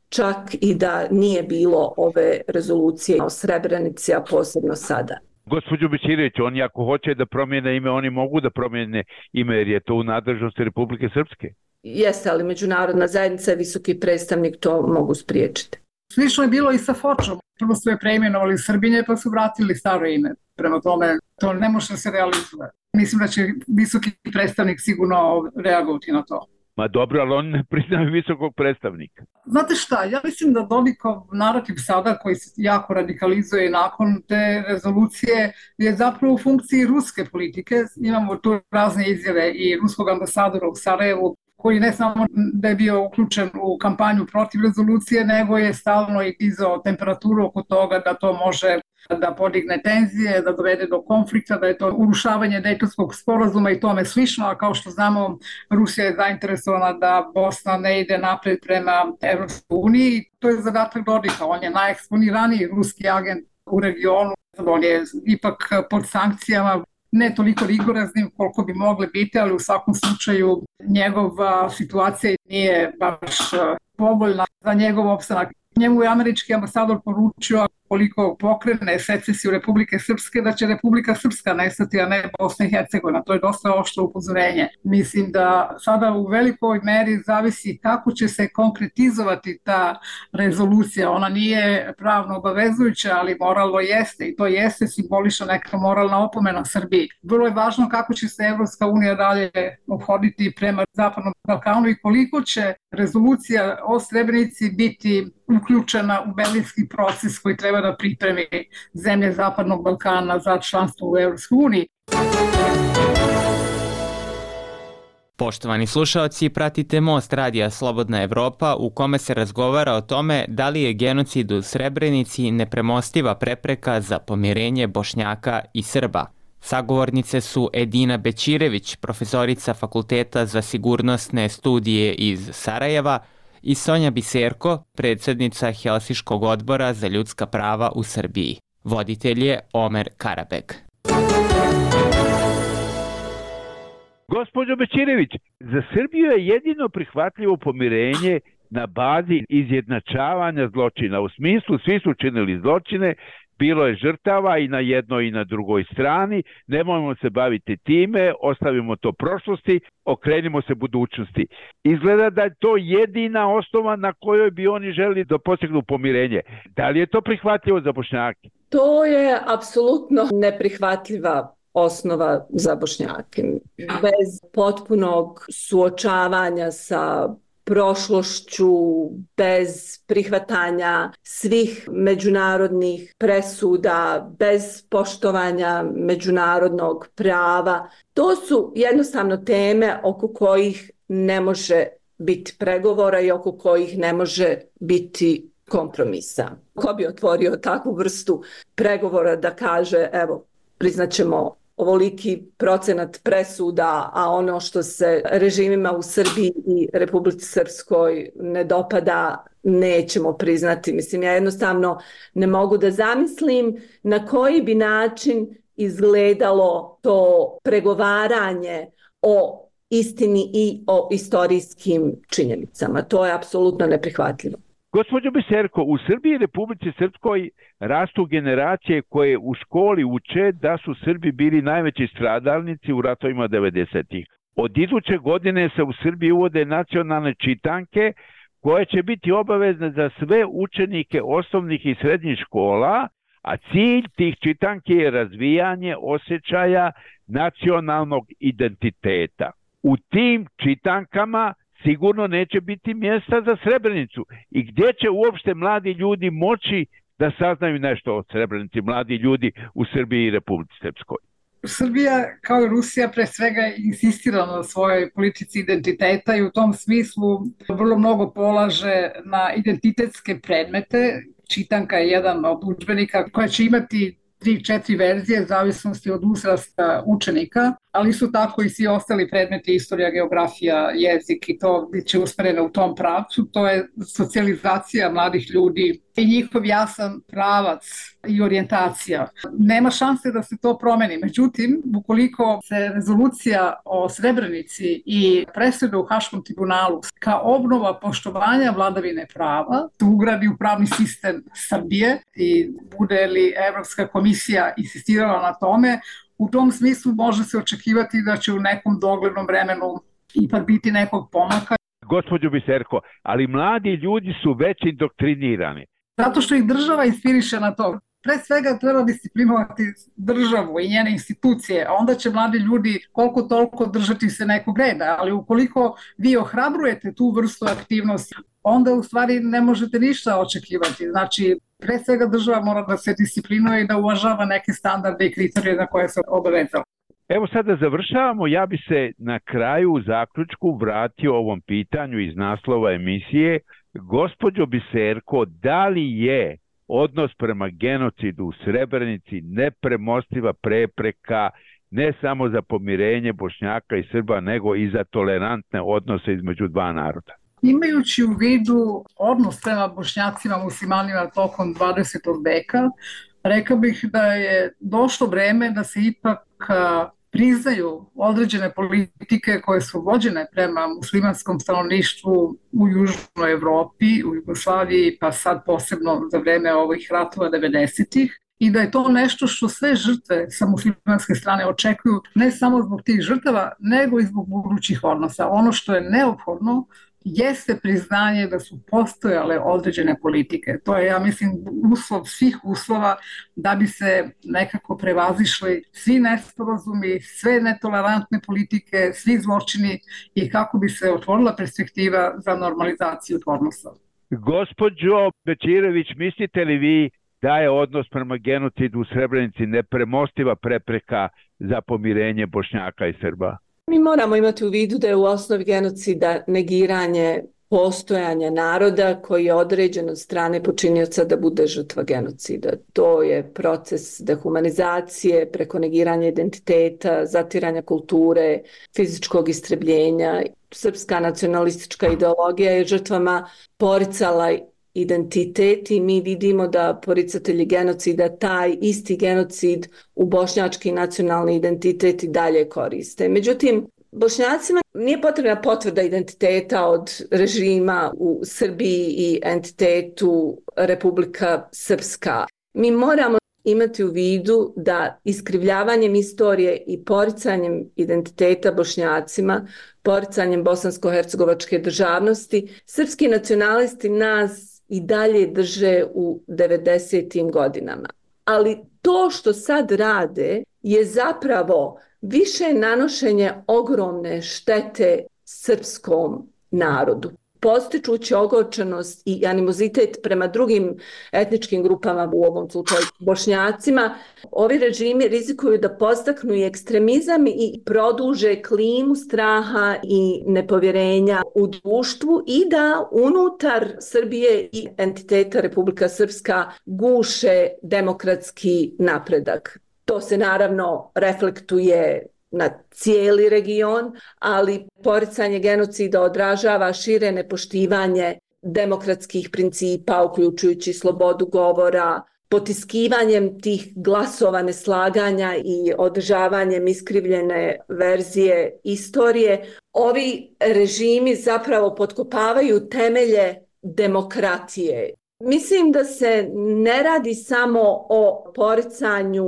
čak i da nije bilo ove rezolucije o Srebrenici, a posebno sada. Gospođo Bećirević, oni ako hoće da promijene ime, oni mogu da promijene ime jer je to u nadležnosti Republike Srpske. Jeste, ali međunarodna zajednica i visoki predstavnik to mogu spriječiti. Slično je bilo i sa Fočom. Prvo su je preimenovali Srbinje pa su vratili staro ime. Prema tome, to ne može da se realizuje. Mislim da će visoki predstavnik sigurno reagovati na to. Ma dobro, ali oni ne priznaju visokog predstavnika. Znate šta, ja mislim da Dodikov narativ sada, koji se jako radikalizuje nakon te rezolucije, je zapravo u funkciji ruske politike. Imamo tu razne izjave i ruskog ambasadora u Sarajevu, koji ne samo da je bio uključen u kampanju protiv rezolucije, nego je stalno i dizao temperaturu oko toga da to može da podigne tenzije, da dovede do konflikta, da je to urušavanje Dejtonskog sporazuma i tome slično, a kao što znamo, Rusija je zainteresovana da Bosna ne ide napred prema Evropskoj uniji. To je zadatak Dodika, on je najeksponiraniji ruski agent u regionu, on je ipak pod sankcijama, ne toliko rigoraznim koliko bi mogli biti, ali u svakom slučaju njegova situacija nije baš povoljna za njegov opstanak. Njemu je američki ambasador poručio koliko pokrene secesiju Republike Srpske, da će Republika Srpska nestati, a ne Bosna i Hercegovina. To je dosta oštro upozorenje. Mislim da sada u velikoj meri zavisi kako će se konkretizovati ta rezolucija. Ona nije pravno obavezujuća, ali moralno jeste i to jeste simbolična neka moralna opomena Srbiji. Vrlo je važno kako će se Evropska unija dalje ophoditi prema Zapadnom Balkanu i koliko će rezolucija o Srebrenici biti uključena u berlinski proces koji treba da pripremi zemlje Zapadnog Balkana za članstvo u Evropskoj uniji. Poštovani slušaoci, pratite Most radija Slobodna Evropa u kome se razgovara o tome da li je genocid u Srebrenici nepremostiva prepreka za pomirenje Bošnjaka i Srba. Sagovornice su Edina Bećirević, profesorica Fakulteta za sigurnosne studije iz Sarajeva, i Sonja Biserko, predsjednica Helsinškog odbora za ljudska prava u Srbiji. Voditelj je Omer Karabeg. Gospođo Bećirević, za Srbiju je jedino prihvatljivo pomirenje na bazi izjednačavanja zločina. U smislu, svi su činili zločine, bilo je žrtava i na jednoj i na drugoj strani, nemojmo se baviti time, ostavimo to prošlosti, okrenimo se budućnosti. Izgleda da je to jedina osnova na kojoj bi oni želi da postignu pomirenje. Da li je to prihvatljivo za Bošnjake? To je apsolutno neprihvatljiva osnova za Bošnjake. Bez potpunog suočavanja sa prošlošću, bez prihvatanja svih međunarodnih presuda, bez poštovanja međunarodnog prava. To su jednostavno teme oko kojih ne može biti pregovora i oko kojih ne može biti kompromisa. Ko bi otvorio takvu vrstu pregovora da kaže, evo, priznaćemo ovoliki procenat presuda, a ono što se režimima u Srbiji i Republici Srpskoj ne dopada, nećemo priznati. Mislim, ja jednostavno ne mogu da zamislim na koji bi način izgledalo to pregovaranje o istini i o istorijskim činjenicama. To je apsolutno neprihvatljivo. Gospođo Biserko, u Srbiji i Republici Srpskoj rastu generacije koje u školi uče da su Srbi bili najveći stradalnici u ratovima 90-ih. Od iduće godine se u Srbiji uvode nacionalne čitanke koje će biti obavezne za sve učenike osnovnih i srednjih škola, a cilj tih čitanki je razvijanje osjećaja nacionalnog identiteta. U tim čitankama sigurno neće biti mjesta za Srebrenicu. I gdje će uopšte mladi ljudi moći da saznaju nešto o Srebrenici, mladi ljudi u Srbiji i Republici Srpskoj? Srbija, kao i Rusija, pre svega insistira na svojoj politici identiteta i u tom smislu vrlo mnogo polaže na identitetske predmete. Čitanka je jedan od udžbenika koja će imati 3-4 verzije, zavisnosti od uzrasta učenika, ali su tako i svi ostali predmeti, istorija, geografija, jezik i to bit će usmereno u tom pravcu. To je socijalizacija mladih ljudi i njihov jasan pravac i orijentacija. Nema šanse da se to promeni. Međutim, ukoliko se rezolucija o Srebrenici i presuda u Haškom tribunalu kao obnova poštovanja vladavine prava ugradi u pravni sistem Srbije i bude li Evropska komisija insistirala na tome, u tom smislu može se očekivati da će u nekom doglednom vremenu ipak biti nekog pomaka. Gospođo Biserko, ali mladi ljudi su već indoktrinirani. Zato što ih država inspiriše na to. Pre svega treba disciplinovati državu i njene institucije, a onda će mladi ljudi koliko toliko držati se nekog reda, ali ukoliko vi ohrabrujete tu vrstu aktivnosti, onda u stvari ne možete ništa očekivati. Znači, pre svega država mora da se disciplinuje i da uvažava neke standarde i kriterije na koje se obavezala. Evo sada završavamo, ja bi se na kraju u zaključku vratio ovom pitanju iz naslova emisije. Gospođo Biserko, da li je odnos prema genocidu u Srebrenici nepremostiva prepreka ne samo za pomirenje Bošnjaka i Srba, nego i za tolerantne odnose između dva naroda? Imajući u vidu odnos prema Bošnjacima, muslimanima tokom 20. veka, rekao bih da je došlo vreme da se ipak priznaju određene politike koje su vođene prema muslimanskom stanovništvu u Južnoj Evropi, u Jugoslaviji, pa sad posebno za vreme ovih ratova 90-ih, i da je to nešto što sve žrtve sa muslimanske strane očekuju, ne samo zbog tih žrtava, nego i zbog budućih odnosa. Ono što je neophodno jeste priznanje da su postojale određene politike. To je, ja mislim, uslov svih uslova da bi se nekako prevazišli svi nesporazumi, sve netolerantne politike, svi zločini i kako bi se otvorila perspektiva za normalizaciju odnosa. Gospođo Bećirović, mislite li vi da je odnos prema genocidu u Srebrenici nepremostiva prepreka za pomirenje Bošnjaka i Srba? Mi moramo imati u vidu da je u osnovi genocida negiranje postojanja naroda koji je određen od strane počinioca da bude žrtva genocida. To je proces dehumanizacije preko negiranja identiteta, zatiranja kulture, fizičkog istrebljenja. Srpska nacionalistička ideologija je žrtvama poricala identitet i mi vidimo da poricatelji genocida taj isti genocid u bošnjački nacionalni identitet i dalje koriste. Međutim, Bošnjacima nije potrebna potvrda identiteta od režima u Srbiji i entitetu Republika Srpska. Mi moramo imati u vidu da iskrivljavanjem istorije i poricanjem identiteta Bošnjacima, poricanjem bosansko-hercegovačke državnosti, srpski nacionalisti nas i dalje drže u 90. godinama. Ali to što sad rade je zapravo više nanošenje ogromne štete srpskom narodu. Postičući ogorčenost i animozitet prema drugim etničkim grupama, u ovom slučaju Bošnjacima, ovi režimi rizikuju da podstaknu i ekstremizam i produže klimu straha i nepovjerenja u društvu i da unutar Srbije i entiteta Republika Srpska guše demokratski napredak. To se naravno reflektuje na cijeli region, ali poricanje genocida odražava šire nepoštivanje demokratskih principa, uključujući slobodu govora, potiskivanjem tih glasova neslaganja i održavanjem iskrivljene verzije istorije. Ovi režimi zapravo potkopavaju temelje demokratije. Mislim da se ne radi samo o poricanju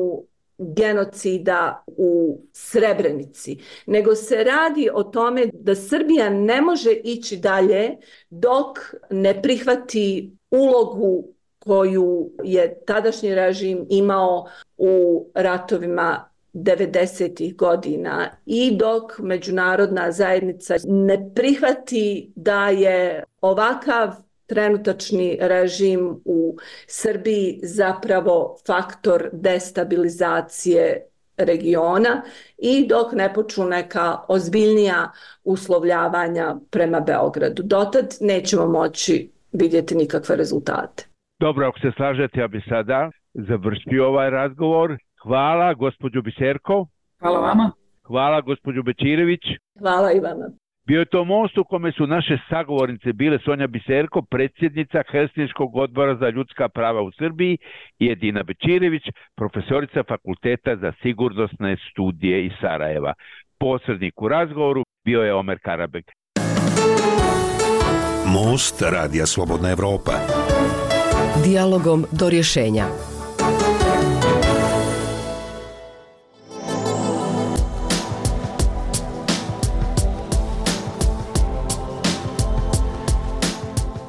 genocida u Srebrenici, nego se radi o tome da Srbija ne može ići dalje dok ne prihvati ulogu koju je tadašnji režim imao u ratovima 90. godina i dok međunarodna zajednica ne prihvati da je ovakav trenutačni režim u Srbiji zapravo faktor destabilizacije regiona i dok ne počnu neka ozbiljnija uslovljavanja prema Beogradu. Dotad nećemo moći vidjeti nikakve rezultate. Dobro, ako se slažete, ja bi sada završio ovaj razgovor. Hvala gospođo Biserko. Hvala vama. Hvala gospođo Bečirević. Hvala i vama. Bio je to most u kome su naše sagovornice bile Sonja Biserko, predsjednica Helsinškog odbora za ljudska prava u Srbiji, i Edina Bečirević, profesorica Fakulteta za sigurnosne studije iz Sarajeva. Posrednik u razgovoru bio je Omer Karabek. Most Radija Slobodna Evropa. Dijalogom do rješenja.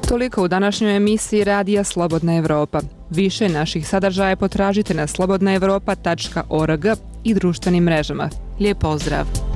Toliko u današnjoj emisiji Radija Slobodna Evropa. Više naših sadržaja potražite na slobodnaevropa.org i društvenim mrežama. Lijep pozdrav!